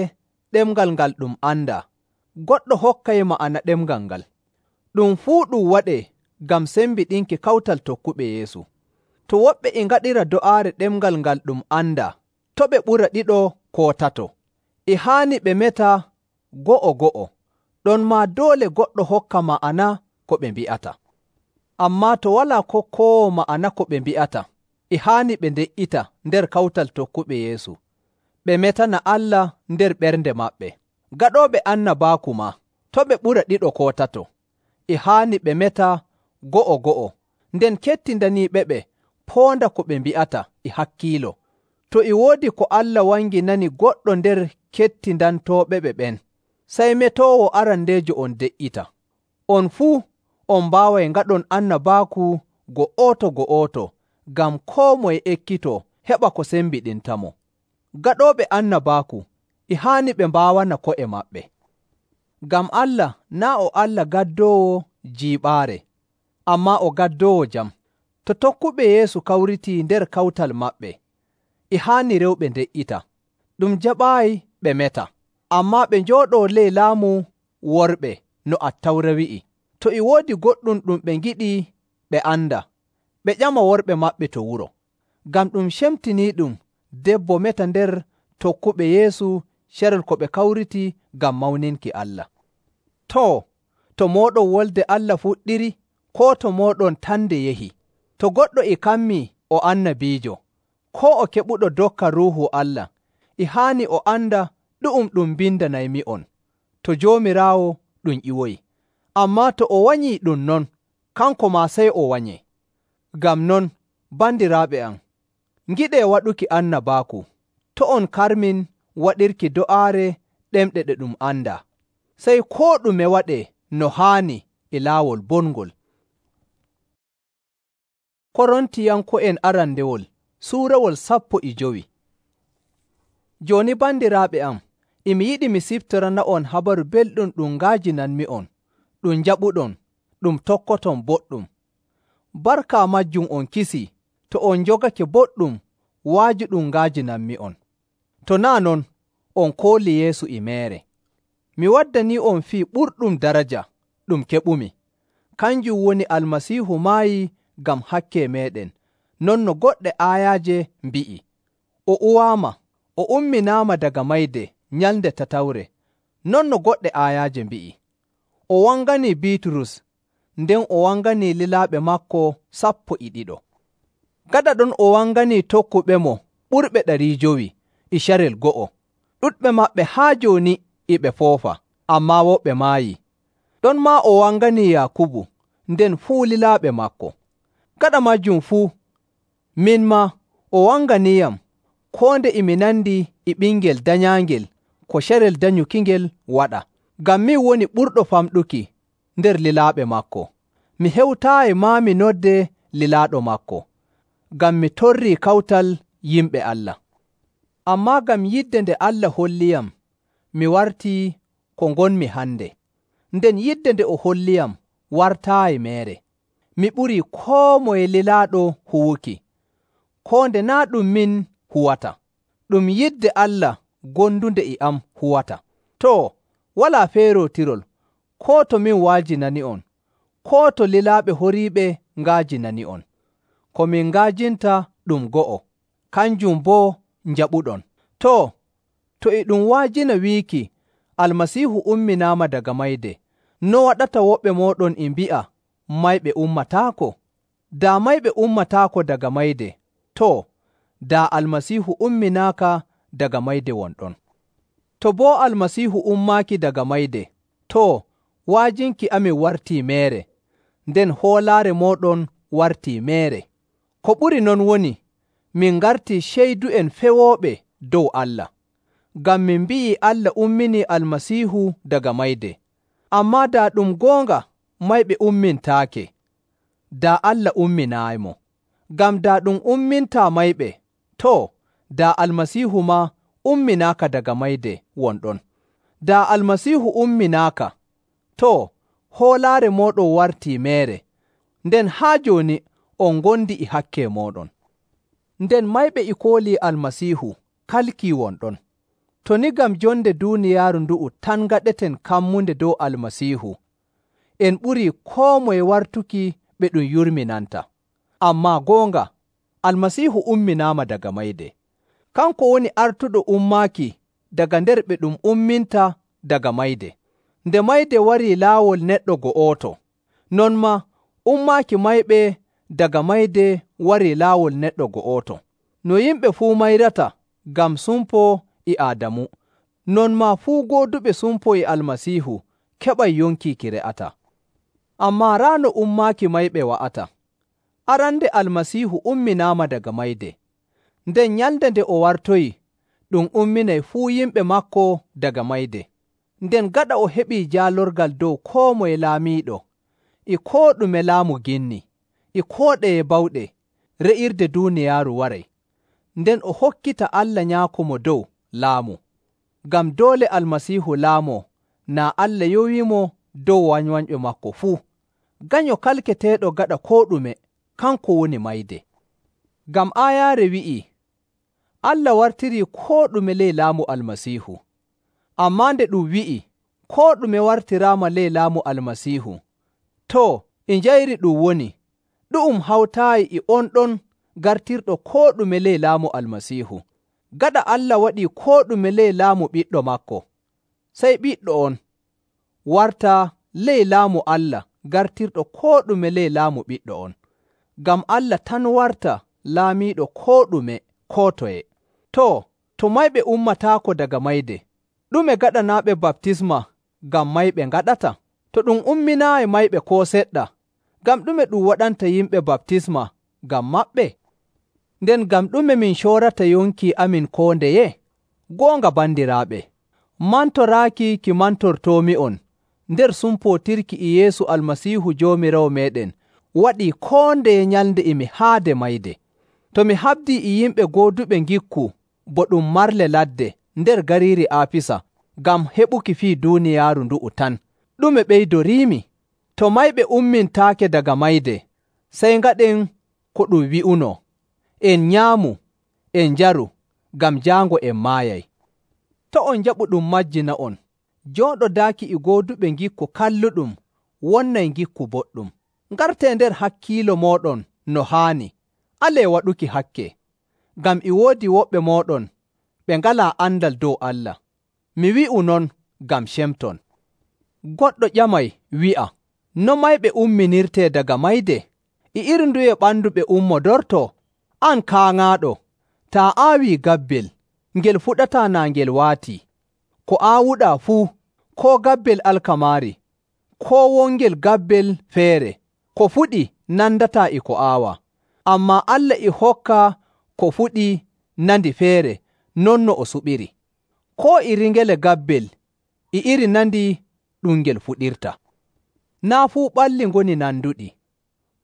ɗemngal ngal ɗum andaa, goɗɗo hokkay ma'ana ɗemngal ngal. Ɗum fuu ɗum waɗee ngam sembiɗinki kawtal tokkuɓe Yeesu. To woɓɓe e ngaɗira do'aare ɗemngal ngal ɗum andaa, to' ɓe ɓura ɗiɗo koo tato. E haani ɓe meta go'o go'o, ɗon maa doole goɗɗo hokka ma'ana ko ɓe mbi'ata. Ammaa to walaa kokkoowo ma'ana ko ɓe mbi'ata, e haani ɓe nde''ita nder kawtal tokkuɓe Yeesu, ɓe metana Allah nder ɓernde maɓɓe. Gaɗooɓe annabaaku maa, to' ɓe ɓura ɗiɗo koo tato, e haani ɓe meta go'o go'o, nden kettindaniiɓe ɓe poonda ko ɓe mbi'ata e hakkiilo. To e woodi ko Allah wanginani goɗɗo nder kettindantooɓe ɓe ɓen, sey metoowo arandeejo on de''ita. On fuu on mbaaway ngaɗon annabaaku go'oto go'oto, ngam koo moye ekkitoo heɓa ko sembiɗintamo. Gaɗooɓe annabaaku e haani ɓe mbaawana ko'e maɓɓe. Ngam Allah naa' o Allah gaddoowo jiiɓaare, ammaa o gaddoowo jam. To tokkuɓe Yeesu kawritii nder kawtal maɓɓe, e haani rewɓe nde''ita. Ɗum jaɓaayi ɓe meta, ammaa ɓe njooɗoo ley laamu worɓe no Attawra wi'i. To e woodi goɗɗum ɗum ɓe ngiɗi ɓe anda, ɓe ƴama worɓe maɓɓe to wuro. Ngam ɗum cemtiniiɗum debbo meta nder tokkuɓe Yeesu carel ko ɓe kawriti ngam mawninki Allah. Too, to mooɗon wolde Allah fuɗɗiri, koo to mooɗon tan nde yehi? To goɗɗo e kammii o annabiijo, koo o keɓuɗo dokka Ruuhu Allah, e haani o anda ɗu'um ɗum mbindanaymi'on, to Joomiraawo ɗum ƴiwoyi. Ammaa to o wanyii ɗum non, kanko maa sey o wanyee. Ngam non, bandiraaɓe am, ngiɗee waɗuki annabaaku, to' on karmin waɗirki do'aare ɗemɗe ɗe ɗum andaa, sey koo ɗume waɗee no haani e laawol bongol. Korontiyanko'en arandewol suurawol sappo e jowi. Jooni bandiraaɓe am, e mi yiɗi mi siftorana'on habaru belɗum ɗum nga'ajinanmi'on, ɗum njaɓuɗon, ɗum tokkoton boɗɗum. Barka majjum on kisii to on njogake boɗɗum waaju ɗum nga'ajinanmi'on. To naa' non, on kooli Yeesu e meere. Mi waddanii'on fii ɓurɗum daraja ɗum keɓumi. Kanjum woni Almasiihu maayi ngam hakke meeɗen, non no goɗɗe aayaaje mbi'i. O uwaama, o umminaama daga mayde nyalnde tatawre, non no goɗɗe aayaaje mbi'i. O wanganii Biiturus, nden o wanganii lilaaɓe maako sappo e ɗiɗo. Gaɗa ɗon o wanganii tokkuɓemo ɓurɓe ɗari jowi e carel go'o. Ɗuɗɓe maɓɓe haa jooni e ɓe foofa, ammaa woɓɓe maayii. Ɗon maa o wanganii Yaakubu, nden fuu lilaaɓe maako. Gaɗa majjum fuu, min maa o wanganiiyam, koo nde e mi nandi e ɓingel danyaangel ko carel danyukingel waɗa, ngam min woni ɓurɗo famɗuki nder lilaaɓe maako. Mi hewtaayi maa mi nodde lilaaɗo maako, ngam mi torrii kawtal yimɓe Allah. Ammaa ngam yidde nde Allah holliyam, mi wartii ko ngonmi hande, nden yidde nde o holliyam wartaayi meere. Mi ɓurii koo moye lilaaɗo huwuki, koo nde naa' ɗum min huwata, ɗum yidde Allah gondunde e am huwata. Too, walaa feerootirol, koo to min wa'ajinani'on, koo to lilaaɓe horiiɓe nga'ajinani'on. Ko min nga'ajinta ɗum go'o, kanjum boo njaɓuɗon. Too, to e ɗum wa'ajina wiiki Almasiihu umminaama daga mayde, no waɗata woɓɓe mooɗon e mbi'a mayɓe ummataako? Daa mayɓe ummataako daga mayde, too, daa Almasiihu umminaaka daga mayde wonɗon. To boo Almasiihu ummaaki daga mayde, too, wa'ajinki amin wartii meere, nden hoolaare mooɗon wartii meere. Ko ɓuri non woni, min ngartii ceydu'en fewooɓe dow Allah, ngam min mbi'ii Allah umminii Almasiihu daga mayde. Ammaa daa ɗum goonga mayɓe ummintaake, daa Allah umminaayimo. Ngam daa ɗum ummintaa mayɓe, too, daa Almasiihu maa umminaaka daga mayde wonɗon. Daa Almasiihu umminaaka, too, hoolaare mooɗon wartii meere, nden haa jooni on ngondi e hakke mooɗon. Nden mayɓe e koolii Almasiihu kalkii won ɗon. To ni ngam jonde duuniyaaru ndu'u tan ngaɗeten kammunde dow Almasiihu, en ɓurii koo moye wartuki ɓe ɗum yurminanta. Ammaa goonga, Almasiihu umminaama daga mayde. Kanko woni artuɗo ummaaki daga nder ɓe ɗum umminta daga mayde. Nde mayde warii laawol neɗɗo go'oto, non maa ummaaki mayɓe daga mayde warii laawol neɗɗo go'oto. No yimɓe fuu mayrata ngam sumpo e Aadamu, non maa fuu gooduɓe sumpo e Almasiihu keɓay yonki ki re'ata. Ammaa raa no ummaaki mayɓe wa'ata. Arande Almasiihu umminaama daga mayde, nden nyalnde nde o wartoyi, ɗum umminay fuu yimɓe maako daga mayde. Nden gaɗa o heɓii jaalorgal dow koo moye laamiiɗo, e koo ɗume laamu ginni, e koo ɗeye bawɗe, re'irde duuniyaaru waray. Nden o hokkita Allah Nyaako Mo Dow laamu. Ngam doole Almasiihu laamoo, naa Allah yowiimo dow wanywanyɓe maako fuu. Ganyo kalketeeɗo gaɗa koo ɗume, kanko woni mayde. Ngam aayaare wi'ii, Allah wartirii koo ɗume ley laamu Almasiihu. Ammaa nde ɗum wi'i, koo ɗume wartiraama ley laamu Almasiihu, too, e njayri ɗum woni, ɗu'um hawtaayi e on ɗon gartirɗo koo ɗume ley laamu Almasiihu. Gaɗa Allah waɗii koo ɗume ley laamu ɓiɗɗo maako, sey ɓiɗɗo on wartaa ley laamu Allah gartirɗo koo ɗume ley laamu ɓiɗɗo on. Ngam Allah tan warta laamiiɗo koo ɗume koo toye. Too, to mayɓe ummataako daga mayde, ɗume gaɗanaaɓe baptisma ngam mayɓe ngaɗata? To ɗum umminaayi mayɓe koo seɗɗa, ngam ɗume ɗum waɗanta yimɓe baptisma ngam maɓɓe? Nden ngam ɗume min coorata yonki amin koo ndeye? Goonga bandiraaɓe, mantoraaki ki mantortoomi'on nder sumpootirki e Yeesu Almasiihu Joomiraawo meeɗen waɗii koo ndeye nyalnde e mi haade mayde. To mi habdii e yimɓe gooduɓe ngikku bo ɗum marle ladde nder gariiri Aafisa ngam heɓuki fii duuniyaaru ndu'u tan, ɗume ɓeydoriimi? To mayɓe ummintaake daga mayde, sey ngaɗen ko ɗum wi'unoo, en nyaamu, en njaru, ngam jaango en maayay. To on njaɓu ɗum majjina'on, jooɗodaaki e gooduɓe ngikku kalluɗum wonnay ngikku boɗɗum. Ngartee nder hakkiilo mooɗon no haani, alee waɗuki hakke, ngam e woodi woɓɓe mooɗon ɓe ngalaa andal dow Allah. Mi wi'u non ngam cemton. Goɗɗo ƴamay wi'a, no mayɓe umminirtee daga mayde? E iri nduye ɓandu ɓe ummodortoo? An kaaŋaaɗo, taa aawii gabbel, ngel fuɗataa naa ngel waatii. Ko aawuɗaa fuu, koo gabbel alkamaari, koo wongel gabbel feere, ko fuɗi nandataa e ko aawaa. Ammaa Allah e hokka ko fuɗi nandi feere non no o suɓiri. Koo iri ngele gabbel e iri nandi ɗum ngel fuɗirta. Naa fuu ɓalli ngoni nanduɗi.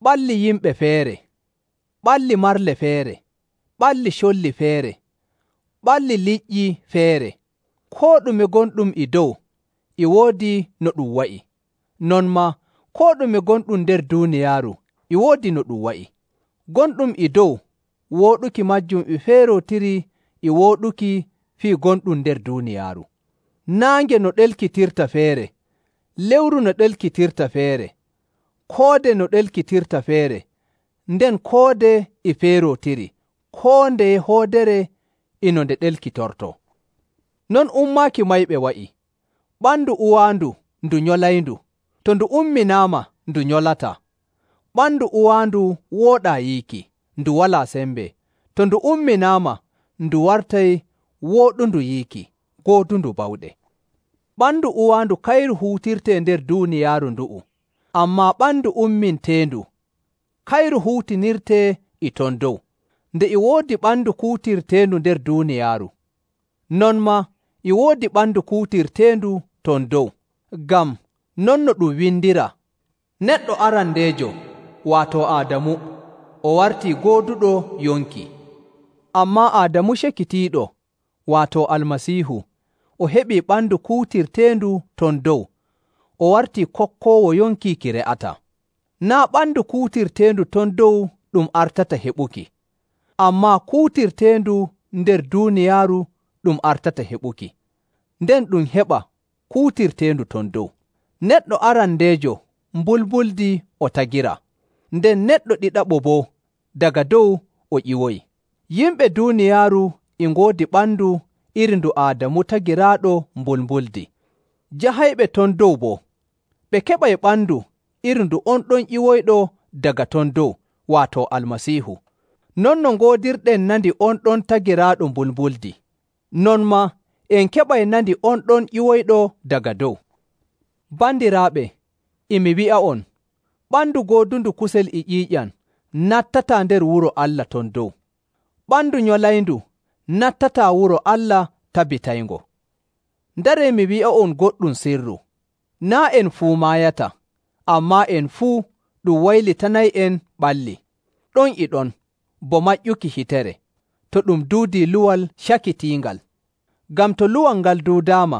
Ɓalli yimɓe feere, ɓalli marle feere, ɓalli colli feere, ɓalli liƴƴi feere. Koo ɗume gonɗum e dow e woodi no ɗum wa'i. Non maa koo ɗume gonɗum nder duuniyaaru e woodi no ɗum wa'i. Gonɗum e dow wooɗuki majjum e feerootiri e wooɗuki fii gonɗum nder duuniyaaru. Naange no ɗelkitirta feere, lewru no ɗelkitirta feere, koode no ɗelkitirta feere, nden koode e feerootiri, koo ndeye hoodere e no nde ɗelkitortoo. Non ummaaki mayɓe wa'i. Ɓandu uwaandu ndu nyolayndu, to ndu umminaama ndu nyolataa. Ɓandu uwaandu wooɗaa yiiki, ndu walaa sembe. To ndu umminaama ndu wartay wooɗundu yiiki, goodundu bawɗe. Ɓandu uwaandu kayru huutirtee nder duuniyaaru ndu'u, ammaa ɓandu umminteendu kayru huutinirtee e ton dow. Nde e woodi ɓandu kuutirteendu nder duuniyaaru, non maa e woodi ɓandu kuutirteendu ton dow. Ngam non no ɗum windiraa, neɗɗo arandeejo, waato Aadamu, o wartii gooduɗo yonki. Ammaa Aadamu cekitiiɗo, waato Almasiihu, o heɓii ɓandu kuutirteendu ton dow, o wartii kokkoowo yonki ki re'ataa. Naa' ɓandu kuutirteendu ton dow ɗum artata heɓuki, ammaa kuutirteendu nder duuniyaaru ɗum artata heɓuki, nden ɗum heɓa kuutirteendu ton dow. Neɗɗo arandeejo mbulmbuldi o tagiraa, nden neɗɗo ɗiɗaɓo boo daga dow o ƴiwoyi. Yimɓe duuniyaaru e ngoodi ɓandu iri ndu Aadamu tagiraaɗo mbulmbuldi. Jahayɓe ton dow boo, ɓe keɓay ɓandu iri ndu on ɗon ƴiwoyɗo daga ton dow, waato Almasiihu. Non no ngoodirɗen nandi on ɗon tagiraaɗo mbulmbuldi, non maa en keɓay nandi on ɗon ƴiwoyɗo daga dow. Bandiraaɓe, e mi wi'a'on, ɓandu goodundu kusel e ƴiiƴam nattataa nder wuro Allah ton dow. Ɓandu nyolayndu nattataa wuro Allah tabitayngo. Ndaree mi wi'a'on goɗɗum sirru. Naa' en fuu maayata, ammaa en fuu ɗum waylitanay'en ɓalli. Ɗon e ɗon, bo maƴƴuki hitere, to ɗum duudii luwal cakitiingal. Ngam to luwal ngal duudaama,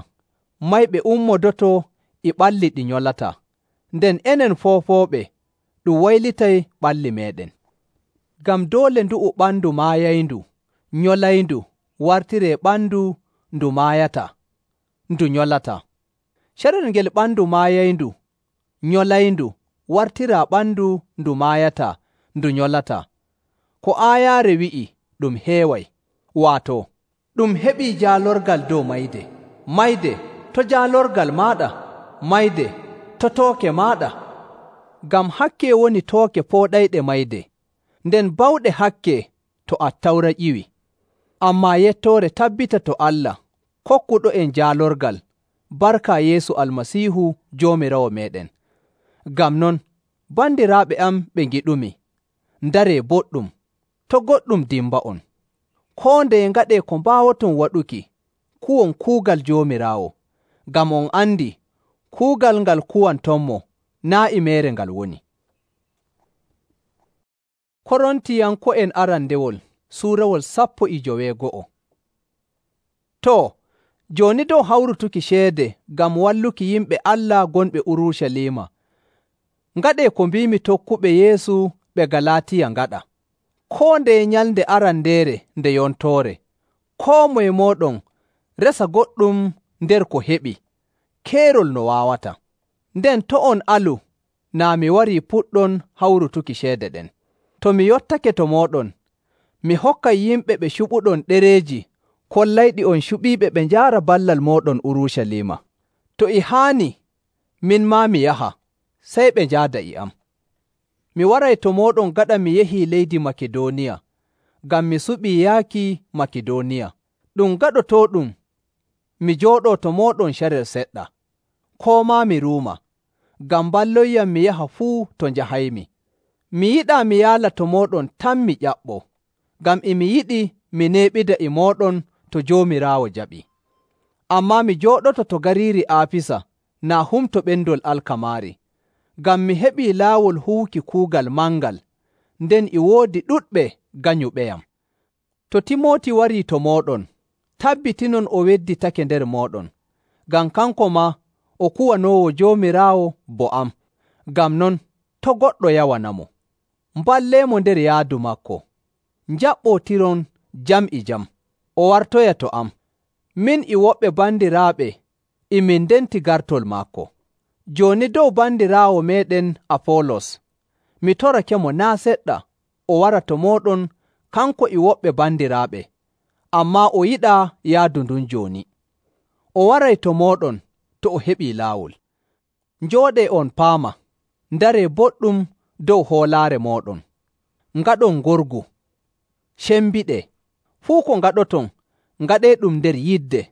mayɓe ummodoto e ɓalli ɗi nyolataa, nden enen foofooɓe ɗum waylitay ɓalli meeɗen. Ngam doole ndu'u ɓandu maayayndu, nyolayndu, wartiree ɓandu ndu maayataa, ndu nyolataa. Carel ngel ɓandu maayayndu, nyolayndu, wartiraa ɓandu ndu maayataa, ndu nyolataa. Ko aayaare wi'i ɗum heeway, waato, ɗum heɓii jaalorgal dow mayde. Mayde, to jaalorgal maaɗa, mayde, to tooke maaɗa. Ngam hakke woni tooke pooɗayɗe mayde, nden bawɗe hakke to Attawra ƴiwi. Ammaa yettoore tabbita to Allah, kokkuɗo en jaalorgal, barka Yeesu Almasiihu Joomiraawo meeɗen. Ngam non, bandiraaɓe am ɓe ngiɗumi, ndaree boɗɗum, to' goɗɗum dimba'on. Koo ndeye ngaɗee ko mbaawoton waɗuki, kuwon kuugal Joomiraawo, ngam on andi kuugal ngal kuwantonmo naa' e meere ngal woni. Korontiyanko'en arandewol suurawol sappo e joweego'o. Too, jooni dow hawrutuki ceede ngam walluki yimɓe Allah gonɓe Urucaliima, ngaɗee ko mbiimi tokkuɓe Yeesu ɓe Galaatiya ngaɗa. Koo ndeye nyalnde arandeere nde yontoore, koo moye mooɗon resa goɗɗum nder ko heɓi, keerol no waawata. Nden to' on alu naa mi warii puɗɗon hawrutuki ceede ɗen. To mi yottake to mooɗon, mi hokkay yimɓe ɓe cuɓuɗon ɗereeji kollayɗi on cuɓiiɓe ɓe njaara ballal mooɗon Urucaliima. To e haani, min maa mi yaha, sey ɓe njaada e am. Mi waray to mooɗon gaɗa mi yahii leydi Makidooniya, ngam mi suɓii yaaki Makidooniya. Ɗum gaɗotooɗum mi jooɗoo to mooɗon carel seɗɗa, koo maa mi ruuma, ngam mballoyyam mi yaha fuu to njahaymi. Mi yiɗaa mi yaala to mooɗon tan mi ƴaɓɓoo, ngam e mi yiɗi mi neeɓida e mooɗon to Joomiraawo jaɓii. Ammaa mi jooɗoto to gariiri Aafisa naa humto ɓendol alkamaari, ngam mi heɓii laawol huwuki kuugal mangal, nden e woodi ɗuɗɓe ganyuɓeyam. To Timooti warii to mooɗon, tabbitinon o wedditake nder mooɗon, ngam kanko maa o kuwanoowo Joomiraawo bo am. Ngam non, to' goɗɗo yawanamo. Mballeemo nder yaadu maako. Njaɓɓootiron jam e jam. O wartoya to am. Min e woɓɓe bandiraaɓe e min ndenti gartol maako. Jooni dow bandiraawo meeɗen Apoolos, mi torakemo naa' seɗɗa o wara to mooɗon kanko e woɓɓe bandiraaɓe, ammaa o yiɗaa yaadu ndun jooni. O waray to mooɗon to o heɓii laawol. Njooɗee on paama, ndaree boɗɗum dow hoolaare mooɗon. Ngaɗon ngorgu, cembiɗee, fuu ko ngaɗoton, ngaɗee ɗum nder yidde.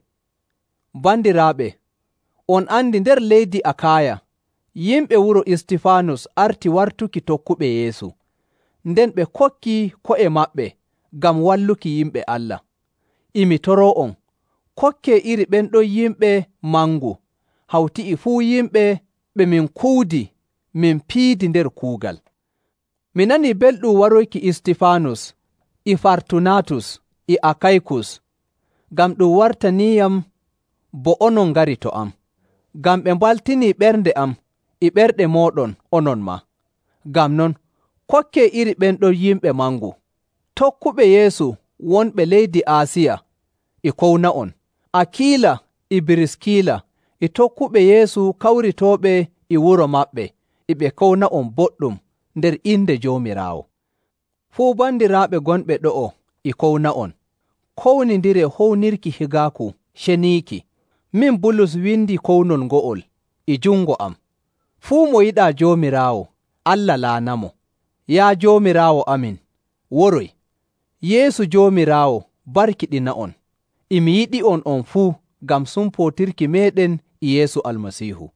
Bandiraaɓe, on andi nder leydi Akaaya, yimɓe wuro Istifaanus arti wartuki tokkuɓe Yeesu, nden ɓe kokki ko'e maɓɓe ngam walluki yimɓe Allah. Imi toroo'on, kokkee iri ɓen ɗon yimɓe mangu, hawti e fuu yimɓe ɓe min kuudi min piidi nder kuugal. Mi nanii belɗum waroyki Istifaanus e Fartunatus e Akaykus, ngam ɗum wartaniiyam bo onon ngari to am, ngam ɓe mbaltinii ɓernde am e ɓerɗe mooɗon onon maa. Ngam non, kokkee iri ɓen ɗon yimɓe mangu. Tokkuɓe Yeesu wonɓe leydi Aasiya e kowna'on. Akiila e Biriskila e tokkuɓe Yeesu kawritooɓe e wuro maɓɓe e ɓe kowna'on boɗɗum nder inde Joomiraawo. Fuu bandiraaɓe gonɓe ɗo'o e kowna'on. Kownindire hownirki higaaku ceniiki. Min Bulus windi kownol ngo'ol e jungo am. Fuu mo yiɗaa Joomiraawo, Allah la'anamo. Yaa Joomiraawo amin, woroy. Yeesu Joomiraawo barkiɗina'on. E mi yiɗi'on on fuu ngam sumpootirki meeɗen e Yeesu Almasiihu.